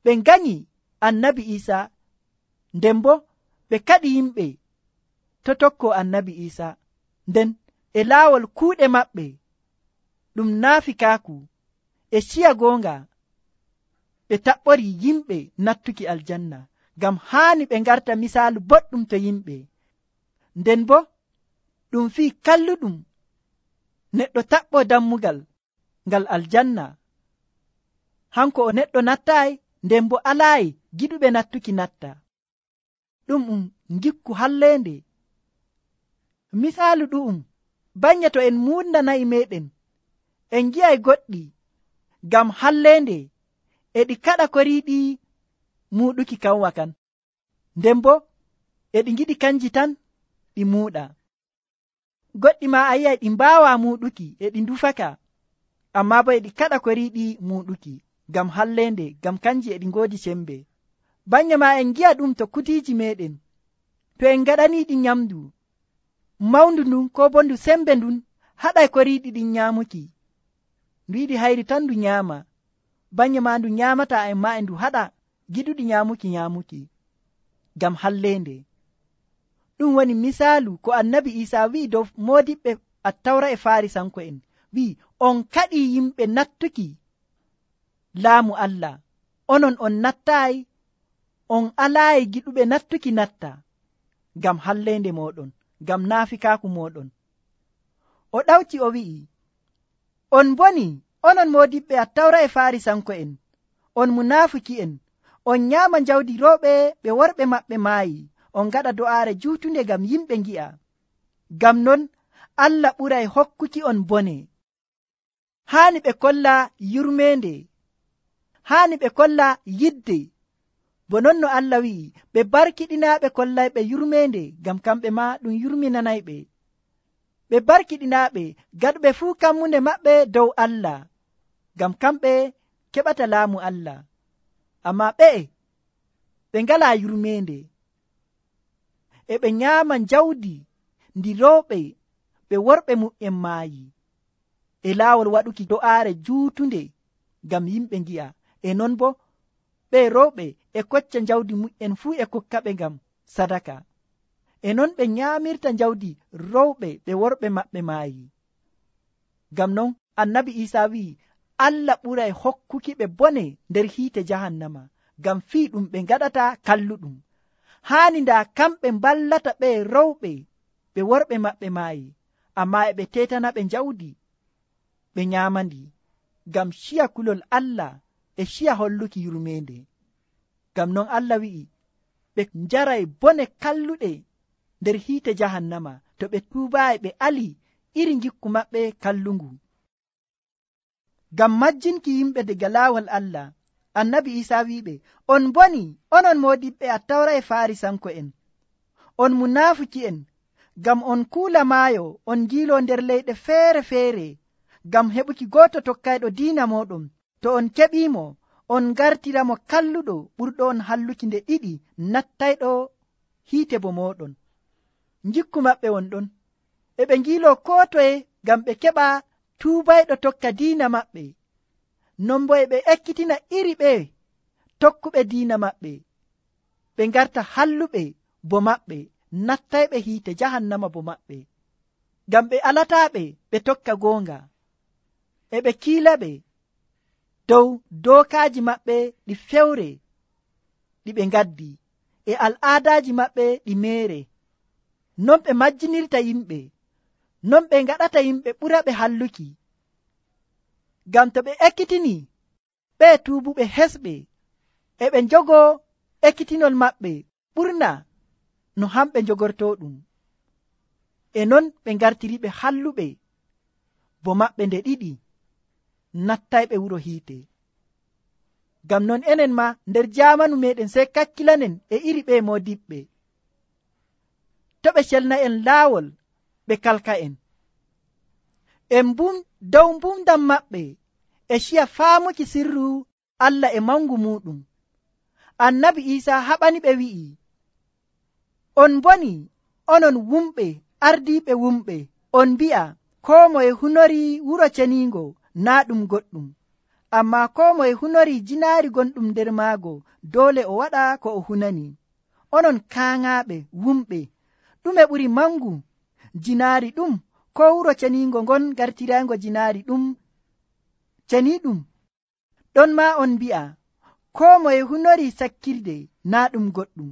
Ɓe nganyi annabi Isa, nden bo ɓe kaɗi yimɓe to tokko annabi Isa. Nden e laawol kuuɗe maɓɓe ɗum naafikaaku e ciya goonga ɓe taɓɓori yimɓe nattuki aljanna, ngam haani ɓe ngarta misaalu boɗɗum to yimɓe. Nden bo ɗum fii kalluɗum neɗɗo taɓɓo dammugal ngal aljanna, hanko o neɗɗo nattaayi, nden bo alaayi giɗuɓe nattuki natta. ɗum um ngikku halleende. Misaalu ɗu'um banye to en muundanayi meɗen en ngi'ay goɗɗi ngam halleende e ɗi kaɗa koriiɗi muuɗuki kanwa kan, nden bo e ɗi ngiɗi kanji tan ɗi muuɗa. Goɗɗi ma a yi'ay ɗi mbaawa muuɗuki e ɗi ndufaka, amma bo e ɗi kaɗa koriiɗi muuɗuki ngam halleende, ngam kanji e ɗi ngoodi sembe. Banye ma en ngi'a ɗum to kutiiji meɗen, to en ngaɗaniiɗi nyamdu mawndu ndun ko bo ndu sembe ndun haɗay koriiɗi ɗin nyaamuki, ndu yiɗi hayri tan ndu nyaama. Banye ma ndu nyaamata en ma e ndu haɗa giɗuɗi nyaamuki nyaamuki ngam halleende. Ɗum woni misaalu ko annabi Isa wi'i dow moodiɓɓe attawra e Farisanko'en, wi'i on kaɗi yimɓe nattuki laamu Allah, onon on nattaayi, on alaayi giɗuɓe nattuki natta ngam halleende moɗon, ngam naafikaaku moɗon. O ɗawti o wi'i, on boni onon moodiɓɓe attawra e Farisanko'en, on munaafiki'en, on nyaama jawdi rewɓe ɓe worɓe maɓɓe maayi, on ngaɗa do'aare juutunde ngam yimɓe ngi'a. Ngam non Allah ɓuray hokkuki on bone. Haani ɓe kolla yurmeende, haani ɓe kolla yidde, bo non no Allah wi'i ɓe barkiɗinaaɓe kollayɓe yurmeende, ngam kamɓe ma ɗum yurminanayɓe. Ɓe barkiɗinaaɓe gaɗuɓe fuu kammunde maɓɓe dow Allah, ngam kamɓe keɓata laamu Allah. Amma ɓe'e ɓe ngalaa yurmeende, e ɓe nyaama jawdi ndi rewɓe ɓe worɓe mu'en maayi, e laawol waɗuki do'aare juutunde ngam yimɓe ngi'a. E non bo ɓe rewɓe e kocca jawdi mu'en fuu e kokkaɓe ngam sadaka. E non ɓe nyaamirta jawdi rewɓe ɓe worɓe maɓɓe maayi. Ngam non annabi Isa wi'i Allah ɓuray hokkuki ɓe bone nder hiite jahannama, ngam fii ɗum ɓe ngaɗata kalluɗum. Haani ndaa kamɓe mballata ɓe rewɓe ɓe worɓe maɓɓe maayi, amma e ɓe tetana ɓe jawdi ɓe nyaamandi, ngam ciya kulol Allah e ciya holluki yurmeende. Ngam non Allah wi'i ɓe njaray bone kalluɗe nder hiite jahannama to ɓe tuubaayi ɓe ali iri ngikku maɓɓe kallungu. Ngam majjinki yimɓe daga laawol Allah, annabi Isa wi'iɓe, on boni onon moodiɓɓe attawra e Farisanko'en, on munaafiki'en, ngam on kuula maayo on ngiilo nder leyɗe feere feere ngam heɓuki gooto tokkayɗo diina moɗon. To on keɓiimo, on ngartiramo kalluɗo ɓurɗo on halluki nde ɗiɗi nattayɗo hiite bo moɗon. Njikku maɓɓe won ɗon, e ɓe ngiilo koo toye ngam ɓe keɓa tuubayɗo tokka diina maɓɓe. Non bo e ɓe ekkitina iri ɓe tokkuɓe diina maɓɓe, ɓe ngarta halluɓe bo maɓɓe, nattayɓe hiite jahannama bo maɓɓe, ngam ɓe alataaɓe ɓe tokka goonga, e ɓe kiilaɓe dow dookaaji maɓɓe ɗi fewre ɗi ɓe ngaddi, e al'aadaaji maɓɓe ɗi meere. Non ɓe majjinirta yimɓe, non ɓe ngaɗata yimɓe ɓura ɓe halluki. Ngam to ɓe ekkitini ɓe tuubuɓe hesɓe, e ɓe njogo ekkitinol maɓɓe ɓurna no hamɓe njogorto ɗum, e non ɓe ngartiriɓe halluɓe bo maɓɓe nde ɗiɗi nattayɓe wuro hiite. Ngam non enen ma nder jamanu meɗen sey kakkilanen e iri ɓe modiɓɓe, to ɓe celna en laawol ɓe kalka en, en bum dow mbumdam maɓɓe e ciya faamuki sirru Allah e mangu muɗum. Annabi Isa haɓani ɓe wi'i, on boni onon wumɓe ardiiɓe wumɓe, on mbi'a koo moye hunori wuro ceniingo naa ɗum goɗɗum, ammaa koo moye hunori jinaari gonɗum nder maago doole o waɗa ko o hunani. Onon kaaŋaaɓe wumɓe, ɗume ɓuri mangu, jinaari ɗum koo wuro ceniingo ngon gartirayngo jinaari ɗum ceniiɗum? Ɗon maa on mbi'a koo moye hunori sakkirde naa ɗum goɗɗum,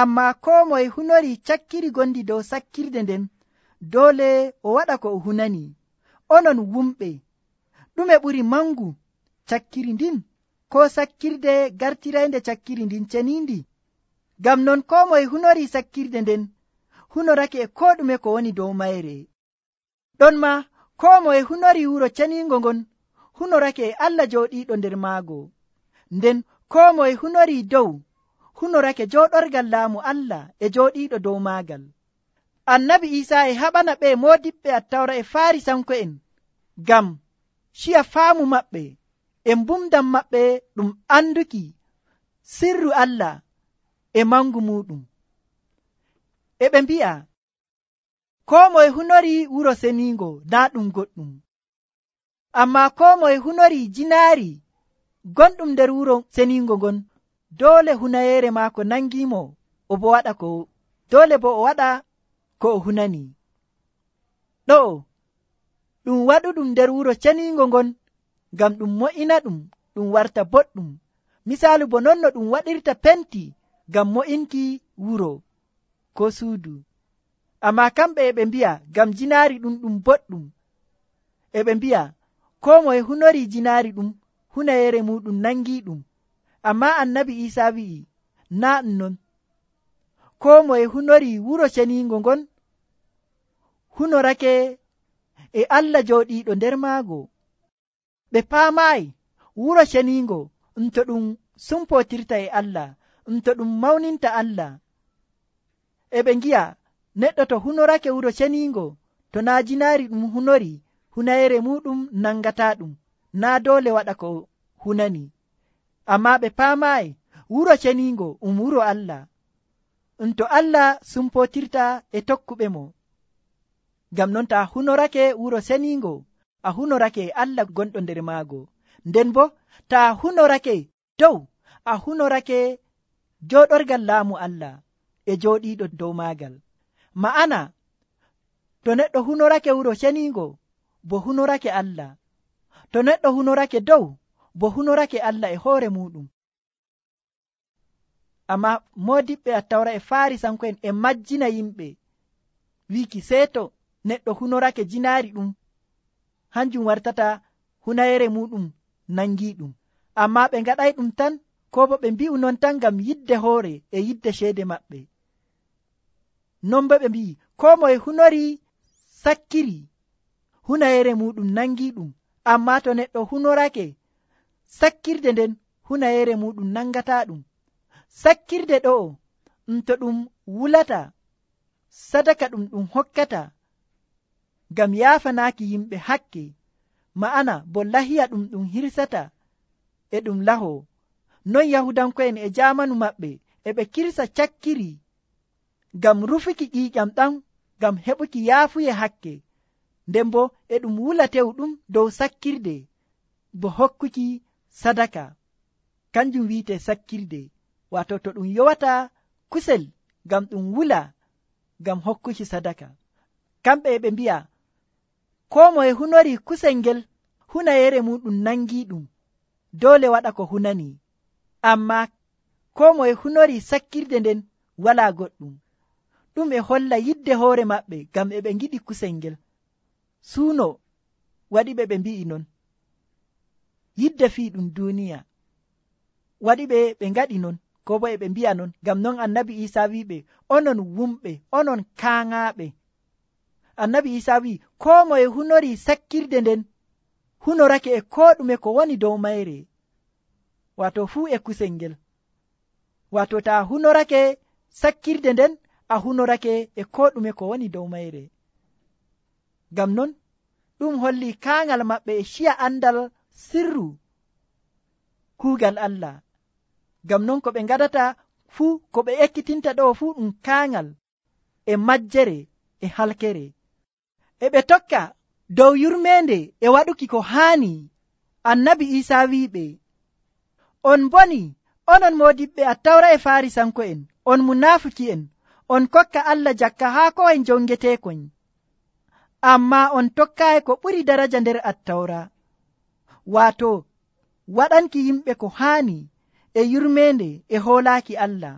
ammaa koo moye hunori cakkiri gondi dow sakkirde nden doole o waɗa ko o hunani. Onon wumɓe, ɗume ɓuri mangu, cakkiri ndin koo sakkirde gartiraynde cakkiri ndin ceniindi? Ngam non koo moye hunori sakkirde nden hunorake e koo ɗume ko woni dow mayre. Ɗon maa koo moye hunori wuro ceniingo ngon hunorake e Allah jooɗiiɗo nder maago, nden koo moye hunori dow hunorake jooɗorgal laamu Allah e jooɗiiɗo dow maagal. Annabi Iisaa e haɓana ɓe moodiɓɓe Attawra e Faarisanko'en ngam ciya faamu maɓɓe e mbumdam maɓɓe ɗum anduki sirru Allah e mangu muɗum. E ɓe mbi'a koo moye hunori wuro seniingo naa ɗum goɗɗum, ammaa koo moye hunori jinaari gonɗum nder wuro seniingo ngon doole hunayeere maako nangimo o bo waɗa ko doole bo o waɗa ko o hunani. Ɗo ɗum waɗuɗum nder wuro ceniingo ngon ngam ɗum mo'ina ɗum ɗum warta boɗɗum, misaalu bo non no ɗum waɗirta penti ngam mo'inki wuro ko suudu. Ammaa kamɓe e ɓe mbi'a ngam jinaari ɗum ɗum boɗɗum, e ɓe mbi'a koo moye hunori jinaari ɗum hunayeere muɗum nangi ɗum. Ammaa Annabi Iisaa wi'i naa ɗum non, koo moye hunori wuro ceniingo ngon hunorake e Allah jooɗiiɗo nder maago. Ɓe paamaayi wuro ceniingo ɗum to ɗum sumpotirta e Allah, ɗum to ɗum mawninta Allah. E ɓe ngi'a neɗɗo to hunorake wuro ceniingo to naa jinaari ɗum hunori hunayeere muɗum nangata ɗum, naa doole waɗa ko hunani. Ammaa ɓe paamaayi wuro ceniingo um wuro Allah, ɗum to Allah sumpotirta e tokkuɓe mo. Ngam non ta hunorake wuro seniingo a hunorake e Allah gonɗo nder maago, nden bo ta hunorake dow a hunorake jooɗorgal laamu Allah e jooɗiiɗo dow maagal. Ma'ana to neɗɗo hunorake wuro ceniingo bo hunorake Allah, to neɗɗo hunorake dow bo hunorake Allah e hoore muɗum. Amma moodiɓɓe Attawra e Faarisanko'en e majjina yimɓe wiki seeto neɗɗo hunorake jinaari ɗum hanjum wartata hunayere muɗum nangi ɗum. Amma ɓe ngaɗay ɗum tan ko bo ɓe mbi'u non tan ngam yidde hoore e yidde ceede maɓɓe. Non bo ɓe mbi'i ko moye hunori sakkiri hunayere muɗum nangi ɗum, amma to neɗɗo hunorake sakkirde nden hunayere muɗum nangata ɗum. Sakkirde ɗo ɗum to ɗum wulata sadaka ɗum ɗum hokkata ngam yaafanaaki yimɓe hakke, ma'ana bo lahiya ɗum ɗum hirsata e ɗum laho. Non Yahudanko'en e jamanu maɓɓe e ɓe kirsa cakkiri ngam rufuki ƴiiƴam ɗam ngam heɓuki yaafuye hakke, nden bo e ɗum wula tew ɗum dow sakkirde bo hokkuki sadaka, kanjum wiite sakkirde. Wato to ɗum yowata kusel ngam ɗum wula ngam hokkuki sadaka. Kamɓe e ɓe mbi'a ko moye hunori kusel ngel hunayere muɗum nangi ɗum doole waɗa ko hunani, amma ko moye hunori sakkirde nden wala goɗɗum. Ɗum e holla yidde hoore maɓɓe ngam e ɓe ngiɗi kusel ngel. Suuno waɗi ɓe ɓe mbi'i non, yidde fii ɗum duniya waɗi ɓe ɓe ngaɗi non, ko bo e ɓe mbi'a non. Ngam non Annabi Iisaa wiɓe onon wumɓe, onon kaaŋaaɓe. Annabi Iisaa wi ko moye hunori sakkirde nden hunorake e ko ɗume ko woni dow mayre, wato fuu e kusel ngel. Wato ta hunorake sakkirde nden a hunorake e ko ɗume ko woni dow mayre. Ngam non ɗum holli kaaŋal maɓɓe e ciya andal sirru kuugal Allah. Ngam non ko ɓe ngaɗata fuu, ko ɓe ekkitinta ɗo fuu ɗum kaaŋal e majjere e halkere. e ɓe tokka dow yurmende e waɗuki ko haani. Annabi Isa wi'iɓe, on boni onon moodiɓɓe Attawra e Farisanko'en, on munaafuki'en, on kokka Allah jakka haa ko en jongeteekon, amma on tokkaayi ko ɓuri daraja nder Attawra, waato waɗanki yimɓe ko haani e yurmende e hoolaaki Allah.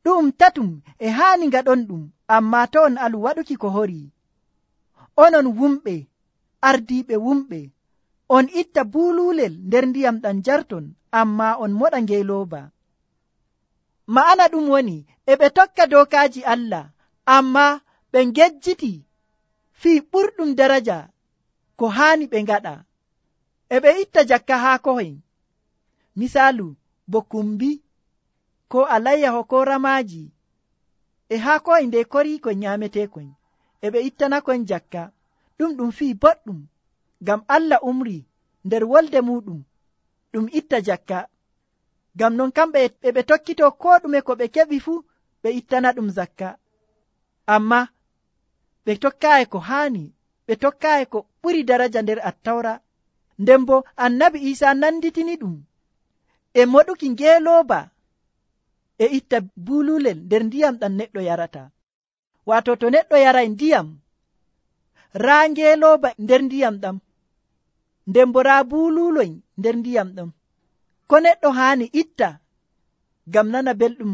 ɗum tatum e haani ngaɗon ɗum, amma to on alu waɗuki ko hori. Onon wumɓe, ardiiɓe wumɓe, on itta buululel nder ndiyam ɗam jarton, amma on moɗa ngeelooba. Ma'ana ɗum woni e ɓe tokka dookaaji Allah, amma ɓe ngejjiti fii ɓurɗum daraja ko haani ɓe ngaɗa. E ɓe itta jakka haa kohen, misaalu bo kumbi ko alayyaho ko ramaaji e haa kohen nde koriikon nyaameteekon, e ɓe ittanakon jakka. ɗum ɗum fii boɗɗum, ngam Allah umri nder wolde muɗum ɗum itta jakka. Ngam non kamɓe e ɓe tokkito ko ɗume ko ɓe keɓi fuu ɓe ittana ɗum zakka, amma ɓe tokkaayi ko haani, ɓe tokkaayi ko ɓuri daraja nder Attawra. Nden bo Annabi Isa nanditini ɗum e moɗuki ngeelooba e itta buululel nder ndiyam ɗam neɗɗo yarata. Waato to neɗɗo yaray ndiyam, raa ngeelooba nder ndiyam ɗam, nden bo raa buululoy nder ndiyam ɗam, ko neɗɗo haani itta ngam nana belɗum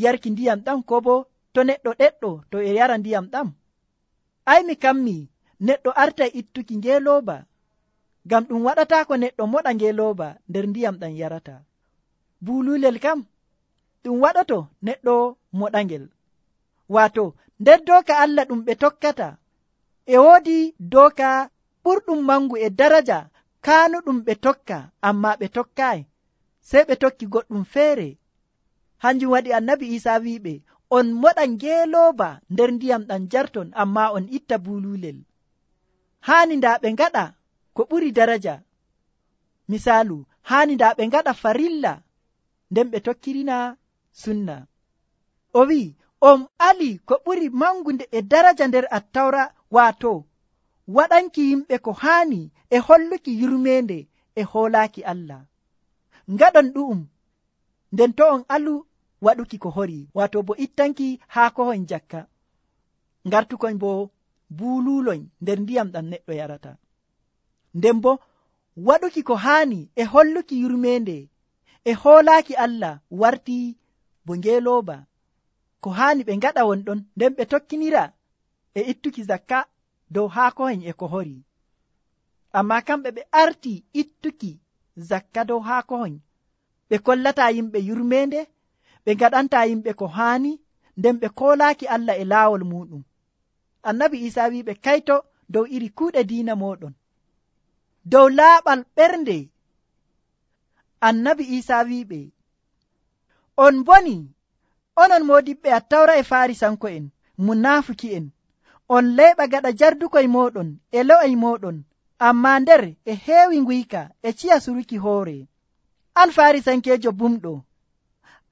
yarki ndiyam ɗam, ko bo to neɗɗo ɗeɗɗo to e yara ndiyam ɗam? Ay mi kammi neɗɗo artay ittuki ngeelooba, ngam ɗum waɗata ko neɗɗo moɗa ngeelooba nder ndiyam ɗam yarata. Buululel kam ɗum waɗoto neɗɗo moɗangel. Waato nder dooka Allah ɗum ɓe tokkata, e woodi dooka ɓurɗum mangu e daraja kaanu ɗum ɓe tokka, amma ɓe tokkaayi, sey ɓe tokki goɗɗum feere. Hanjum waɗi Annabi Isa wi'iɓe, on moɗa ngeelooba nder ndiyam ɗam jarton, amma on itta buululel. Haani ndaa ɓe ngaɗa ko ɓuri daraja. Misaalu, haani ndaa ɓe ngaɗa farilla, nden ɓe tokkirina sunna. O wi'i, on ali ko ɓuri mangunde e daraja nder Attawra, waato waɗanki yimɓe ko haani e holluki yurmeende e hoolaaki Allah. Ngaɗon ɗu'um, nden to on alu waɗuki ko hori, waato bo ittanki haa kohon jakka, ngartukon bo buululoñ nder ndiyam ɗam neɗɗo yarata. Nden bo waɗuki ko haani e holluki yurmeende e hoolaaki Allah warti bo ngeelooba. Ko haani ɓe ngaɗa won ɗon, nden ɓe tokkinira e ittuki zakka dow haa kohen e ko hori. Amma kamɓe ɓe arti ittuki zakka dow haa kohen, ɓe kollata yimɓe yurmeende, ɓe ngaɗanta yimɓe ko haani, nden ɓe koolaaki Allah e laawol muɗum. Annabi Isa wi'iɓe, kayto dow iri kuuɗe diina moɗon. Dow laaɓal ɓernde, Annabi Isa wi'iɓe, on boni onon moodiɓɓe Attawra e Farisanko'en, munaafuki'en, on leyɓa gaɗa jardukoye moɗon e lo'oy moɗon, amma nder e heewi nguyka e ciya suruki hoore. An Farisankeejo bumɗo,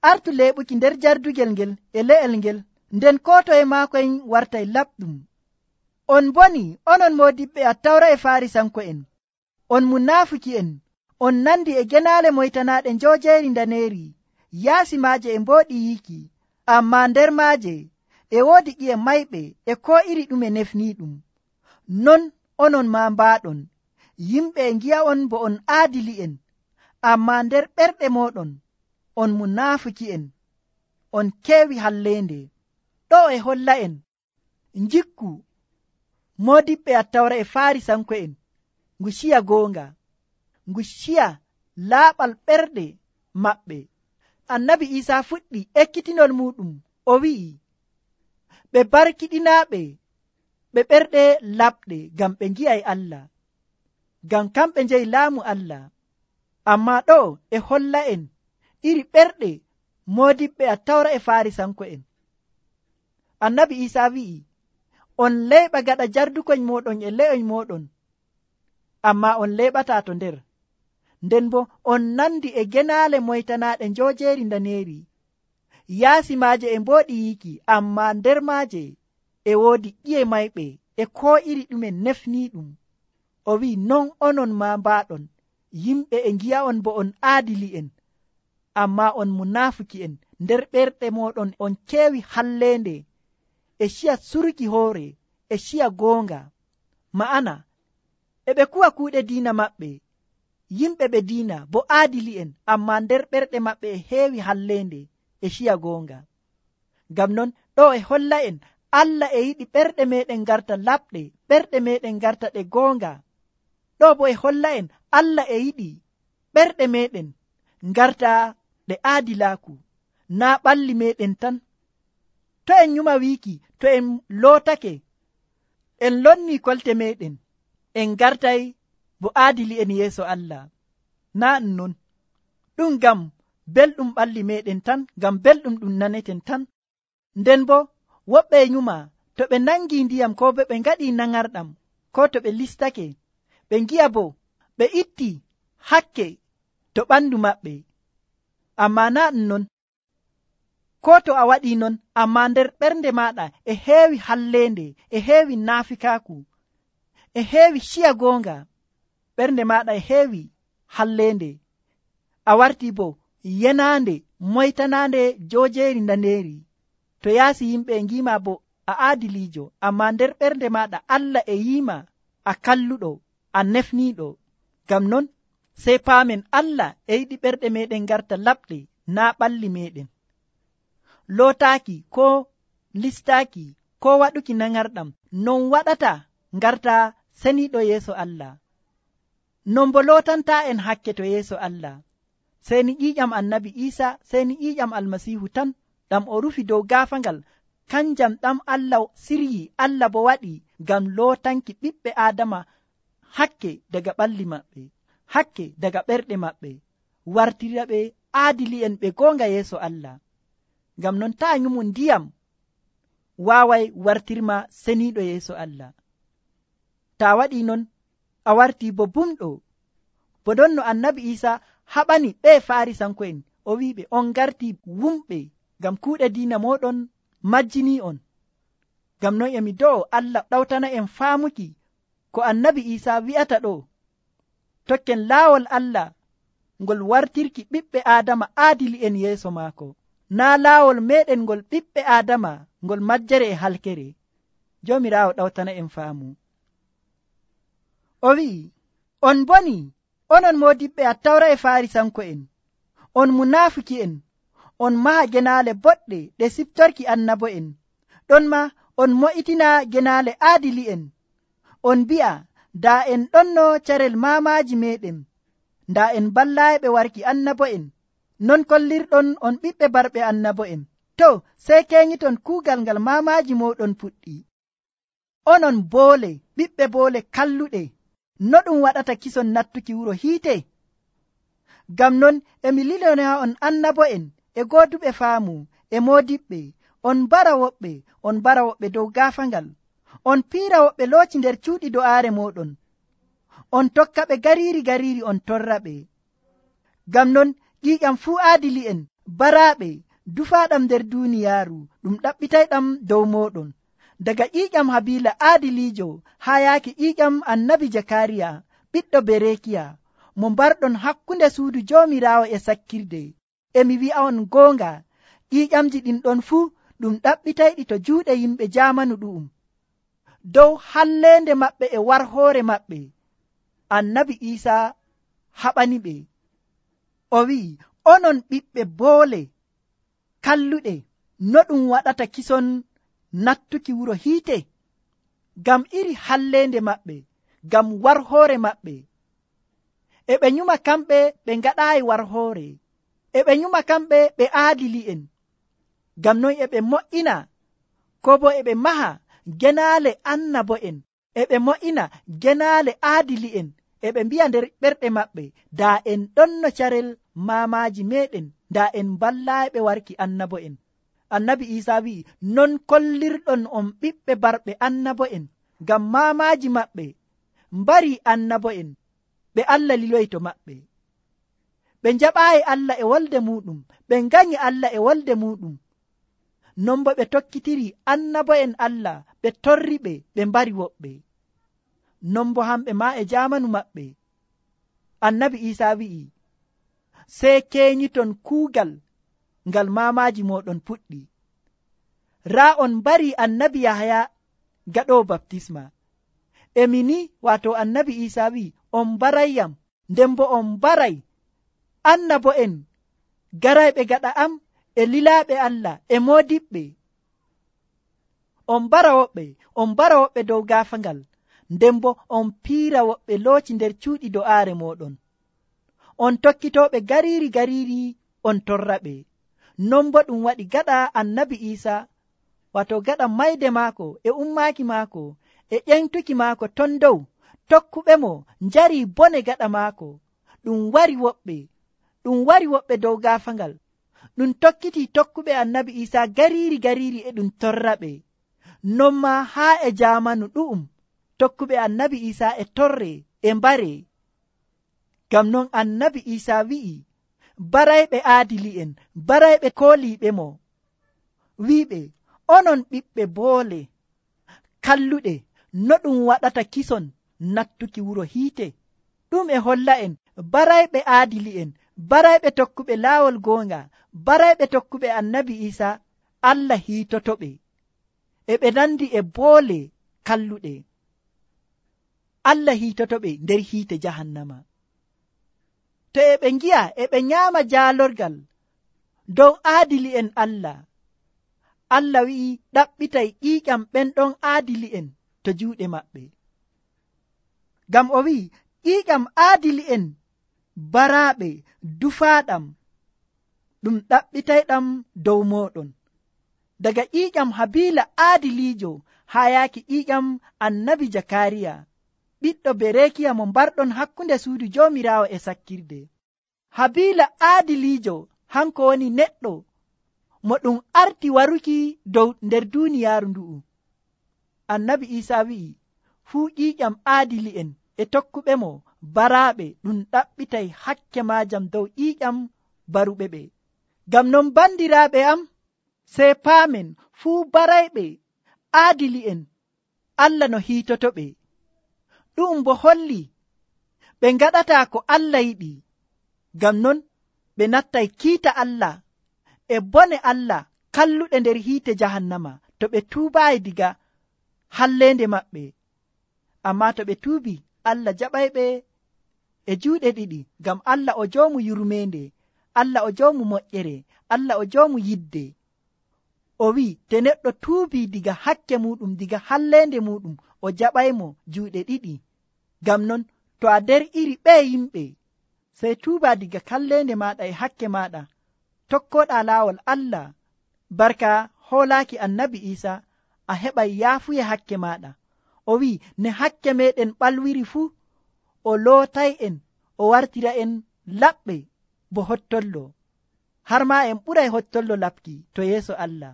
artu leɓuki nder jardugel ngel e le'el ngel, nden ko toye maakoyen wartay laɓɗum. On boni onon moodiɓɓe Attawra e Farisanko'en, on munaafuki'en, on nandi e genaale moytanaaɗe njoojeeri ndaneeri, yaasi maaje e mbooɗi yiiki, amma nder maaje e woodi ƴi'e mayɓe e ko iri ɗume nefniiɗum. Non onon maa mbaaɗon, yimɓe e ngi'a'on bo on aadili'en, amma nder ɓerɗe mooɗon on munaafuki'en, on keewi halleende. Ɗo e holla'en njikku moodiɓɓe Attawra e Farisanko'en ngu ciya goonga, ngu ciya laaɓal ɓerɗe maɓɓe. Annabi Isa fuɗɗi ekkitinol muɗum, o wi'i, ɓe barkiɗinaaɓe ɓe ɓerɗe laɓɗe, ngam ɓe ngi'ay Allah, ngam kamɓe njeyi laamu Allah. Amma ɗo e holla'en iri ɓerɗe moodiɓɓe Attawra e Farisanko'en. Annabi Isa wi'i, on leyɓa gaɗa jardukoñ moɗon e le'oñ moɗon, amma on leyɓata to nder. Nden bo on nandi e genaale moytanaaɗe njoojeeri ndaneeri, yaasi maaje e mbooɗi yiiki, amma nder maaje e woodi ƴi'e mayɓe e ko iri ɗume nefniiɗum. O wi'i non onon ma mbaaɗon yimɓe e ngi'a'on bo on aadili'en, amma on munaafuki'en. Nder ɓerɗe moɗon on keewi halleende e ciya surki hoore e ciya goonga. Ma'ana e ɓe kuwa kuuɗe diina maɓɓe, yimɓe ɓe diina bo aadili'en, amma nder ɓerɗe maɓɓe e heewi halleende e ciya goonga. Ngam non ɗo e holla en Allah e yiɗi ɓerɗe meɗen garta laɓɗe, ɓerɗe meɗen garta ɗe goonga. Ɗo bo e holla en Allah e yiɗi ɓerɗe meɗen garta ɗe aadilaaku, naa ɓalli meɗen tan. To en nyuma wiiki to en lootake en lonni kolte meɗen en gartay bo aadili en yeeso Allah, naa non. Ɗum ngam belɗum ɓalli meɗen tan, ngam belɗum ɗum naneten tan. Nden bo woɓɓe e nyuma to ɓe nangi ndiyam ko bo ɓe ngaɗi nangarɗam ko to ɓe listake, ɓe ngi'a bo ɓe itti hakke to ɓandu maɓɓe. Amma naa non. Ko to a waɗi non, amma nder ɓernde maɗa e heewi halleende, e heewi naafikaaku, e heewi ciya goonga, ɓernde maɗa e heewi halleende, a warti bo yenaande moytanaande joojeeri ndaneeri. To yaasi yimɓe e ngiima bo a aadiliijo, amma nder ɓernde maɗa Allah e yiima a kalluɗo, a nefniiɗo. Ngam non sey paamen Allah e yiɗi ɓerɗe meɗen garta laɓɗe, naa ɓalli meɗen. Lootaaki ko listaaki ko waɗuki nangarɗam non waɗata garta seniiɗo yeeso Allah. Non bo lootanta en hakke to yeeso Allah. Seni ƴiiƴam annabi Iisa, seni ƴiiƴam almasiihu tan ɗam o rufi dow gaafangal, kanjam ɗam Allah siryi, Allah bo waɗi ngam lootanki ɓiɓɓe Aadama hakke daga ɓalli maɓɓe, hakke daga ɓerɗe maɓɓe, wartira ɓe aadili'en ɓe goonga yeeso Allah. Ngam non taa nyumu ndiyam waaway wartirma seniiɗo yeeso Allah. Taa waɗi non a warti bo bumɗo. Bo ɗon no annabi Iisa haɓani ɓe Farisanko'en, o wiɓe on garti wumɓe ngam kuuɗe diina moɗon majjini on. Ngam non emi do'o Allah ɗawtana en faamuki ko annabi Iisa wi'ata ɗo. Tokken laawol Allah ngol wartirki ɓiɓɓe Aadama aadili'en yeeso maako, naa laawol meɗen ngol ɓiɓɓe Aadama ngol majjere e halkere. Joomiraawo ɗawtana en faamu. O wi'i, on boni, onon moodiɓɓe Attawra e Farisanko'en, on munaafiki'en, on maha genaale boɗɗe ɗe siftorki annabo'en, ɗon ma on mo'itina genaale aadili'en. On mbi'a, daa en ɗonno carel maamaaji meɗen, daa en ballaayiɓe warki annabo'en, non kollirɗon on ɓiɓɓe barɓe annabo'en. To, sey keñiton kuugal ngal maamaaji moɗon puɗɗi. Onon boole, ɓiɓɓe boole kalluɗe, no ɗum waɗata kison nattuki wuro hiite? Ngam non emi lilona on annabo'en e gooduɓe faamu e moodiɓɓe, on mbara woɓɓe, on mbara woɓɓe dow gaafangal, on piira woɓɓe looci nder cuuɗi do'aare moɗon, on tokka ɓe gariiri gariiri on torra ɓe. Ngam non ƴiiƴam fuu aadili'en baraaɓe dufaaɗam nder duuniyaaru ɗum ɗaɓɓitayɗam dow moɗon, daga ƴiiƴam Habiila aadiliijo haa yaaki ƴiiƴam annabi Jakariya ɓiɗɗo Berekiya, mo mbarɗon hakkunde suudu Joomiraawo e sakkirde. Emi wi'a'on goonga, ƴiiƴamji ɗin ɗon fuu ɗum ɗaɓɓitayɗi to juuɗe yimɓe jaamanu ɗu'um. Dow halleende maɓɓe e warhoore maɓɓe, annabi Iisa haɓani ɓe. O wi'i, onon ɓiɓɓe boole kalluɗe, no ɗum waɗata kison nattuki wuro hiite? Ngam iri halleende maɓɓe, ngam warhoore maɓɓe. E ɓe nyuma kamɓe ɓe ngaɗaayi warhoore, e ɓe nyuma kamɓe ɓe aadili'en. Ngam non e ɓe mo'ina, ko bo e ɓe maha genaale annabo'en, e ɓe mo'ina genaale aadili'en, e ɓe mbi'a nder ɓerɗe maɓɓe, daa en ɗonno carel maamaaji meɗen, daa en ballaaɓe warki annabo'en. Annabi Iisa wi'i, non kollirɗon on ɓiɓɓe barɓe annabo'en, ngam maamaaji maɓɓe mbari annabo'en, ɓe Allah liloyi to maɓɓe. Ɓe njaɓaayi Allah e wolde muɗum, ɓe nganyi Allah e wolde muɗum. Non bo ɓe tokkitiri annabo'en Allah, ɓe torri ɓe ɓe mbari woɓɓe. Non bo hamɓe ma e jamanu maɓɓe annabi Isa wi'i sey keñiton kuugal ngal maamaji moɗon puɗɗi. raa on mbari annabi Yahaya gaɗowo baptisma. emi ni wato annabi Isa wi'i on mbarayyam, nden bo on mbaray annabo'en garayɓe gaɗa am e lilaaɓe Allah e moodiɓɓe. on mbara woɓɓe on mbara woɓɓe dow gaafangal, nden bo on piira woɓɓe looci nder cuuɗi do'aare moɗon. on tokkitooɓe gariiri gariiri on torraɓe. non bo ɗum waɗi gaɗa annabi Isa wato gaɗa mayde maako e ummaaki maako e ƴentuki maako ton dow, tokkuɓe mo njari bone gaɗa maako. ɗum wari woɓɓe ɗum wari woɓɓe dow gaafangal. ɗum tokkiti tokkuɓe annabi Isa gariiri gariiri e ɗum torraɓe. non ma haa e jamanu ɗu'um tokkuɓe annabi Isa e torre e mbare. ngam non annabi Isa wi'i barayɓe aadili'en, barayɓe kooliiɓe mo, wi'iɓe onon ɓiɓɓe boole kalluɗe, no ɗum waɗata kison nattuki wuro hiite. ɗum e holla en barayɓe aadili'en, barayɓe tokkuɓe laawol goonga, barayɓe tokkuɓe annabi Isa, Allah hiitotoɓe e ɓe nandi e boole kalluɗe. Allah hiitotoɓe nder hiite jahannama. to e ɓe ngi'a e ɓe nyaama jaalorgal dow aadili'en Allah, Allah wi'i ɗaɓɓitay ƴiiƴam ɓen ɗon aadili'en to juuɗe maɓɓe. ngam o wi'i ƴiiƴam aadili'en baraaɓe dufaaɗam ɗum ɗaɓɓitayɗam dow mooɗon. daga ƴiiƴam Habiila aadiliijo haa yaaki ƴiiƴam annabi Jakariya ɓiɗɗo Berekiya mo mbarɗon hakkunde suudu Joomiraawo e sakkirde. Habiila aadiliijo hanko woni neɗɗo mo ɗum arti waruki dow nder duuniyaaru ndu'u. annabi Isa wi'i fuu ƴiiƴam aadili'en e tokkuɓe mo baraaɓe ɗum ɗaɓɓitay hakke maajam dow ƴiiƴam baruɓe ɓe. ngam non bandiraaɓe am, sey paamen fuu barayɓe aadili'en Allah no hiitotoɓe. ɗum bo holli ɓe ngaɗata ko Allah yiɗi. ngam non ɓe nattay kiita Allah e bone Allah kalluɗe nder hiite jahannama to ɓe tuubayi diga hallende maɓɓe. amma to ɓe tuubi, Allah jaɓayɓe e juuɗe ɗiɗi, ngam Allah o joomu yurmende, Allah o joomu moƴƴere, Allah o joomu yidde. o wi'i te neɗɗo tuubi diga hakke muɗum, diga hallende muɗum, o jaɓaymo juuɗe ɗiɗi. ngam non to a nder iri ɓe yimɓe, sey tuuba diga hallende maɗa e hakke maɗa, tokkoɗa laawol Allah barka hoolaaki annabi Isa, a heɓay yaafuye hakke maɗa. o wi'i ne hakke meɗen ɓalwiri fuu, o lootay en, o wartira en laɓɓe bo hottollo, har ma en ɓuray hottollo laɓki to yeeso Allah.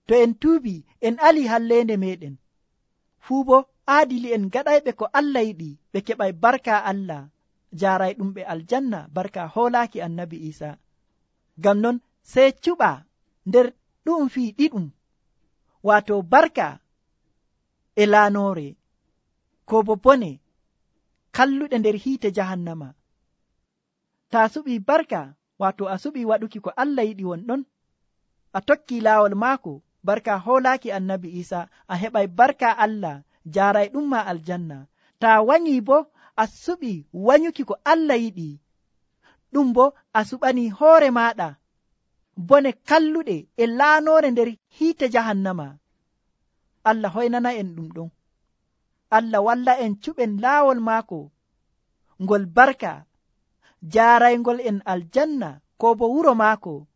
to en tuubi en ali hallende meɗen fuu, bo aadili en gaɗayɓe ko Allah yiɗi, ɓe keɓay barka Allah jaaray ɗum ɓe aljanna barka hoolaaki annabi Isa. ngam non sey cuɓa nder ɗum fii ɗiɗum, wato barka e laanore, ko bo bone kalluɗe nder hiite jahannama. ta suɓi barka, wato a suɓi waɗuki ko Allah yiɗi wonɗon, a tokki laawol maako barka hoolaaki annabi Isa, a heɓay barka Allah jaaray ɗum ma aljanna. ta wanyi bo a suɓi wanyuki ko Allah yiɗi, ɗum bo a suɓani hoore maɗa bone kalluɗe e laanore nder hiite jahannama. Allah hoynana en ɗum ɗon. Allah walla en cuɓen laawol maako ngol barka jaaraygol en aljanna, ko bo wuro maako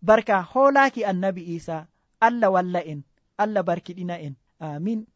barka hoolaaki annabi Isa. Allah walla en, Allah barkiɗina en. Amin.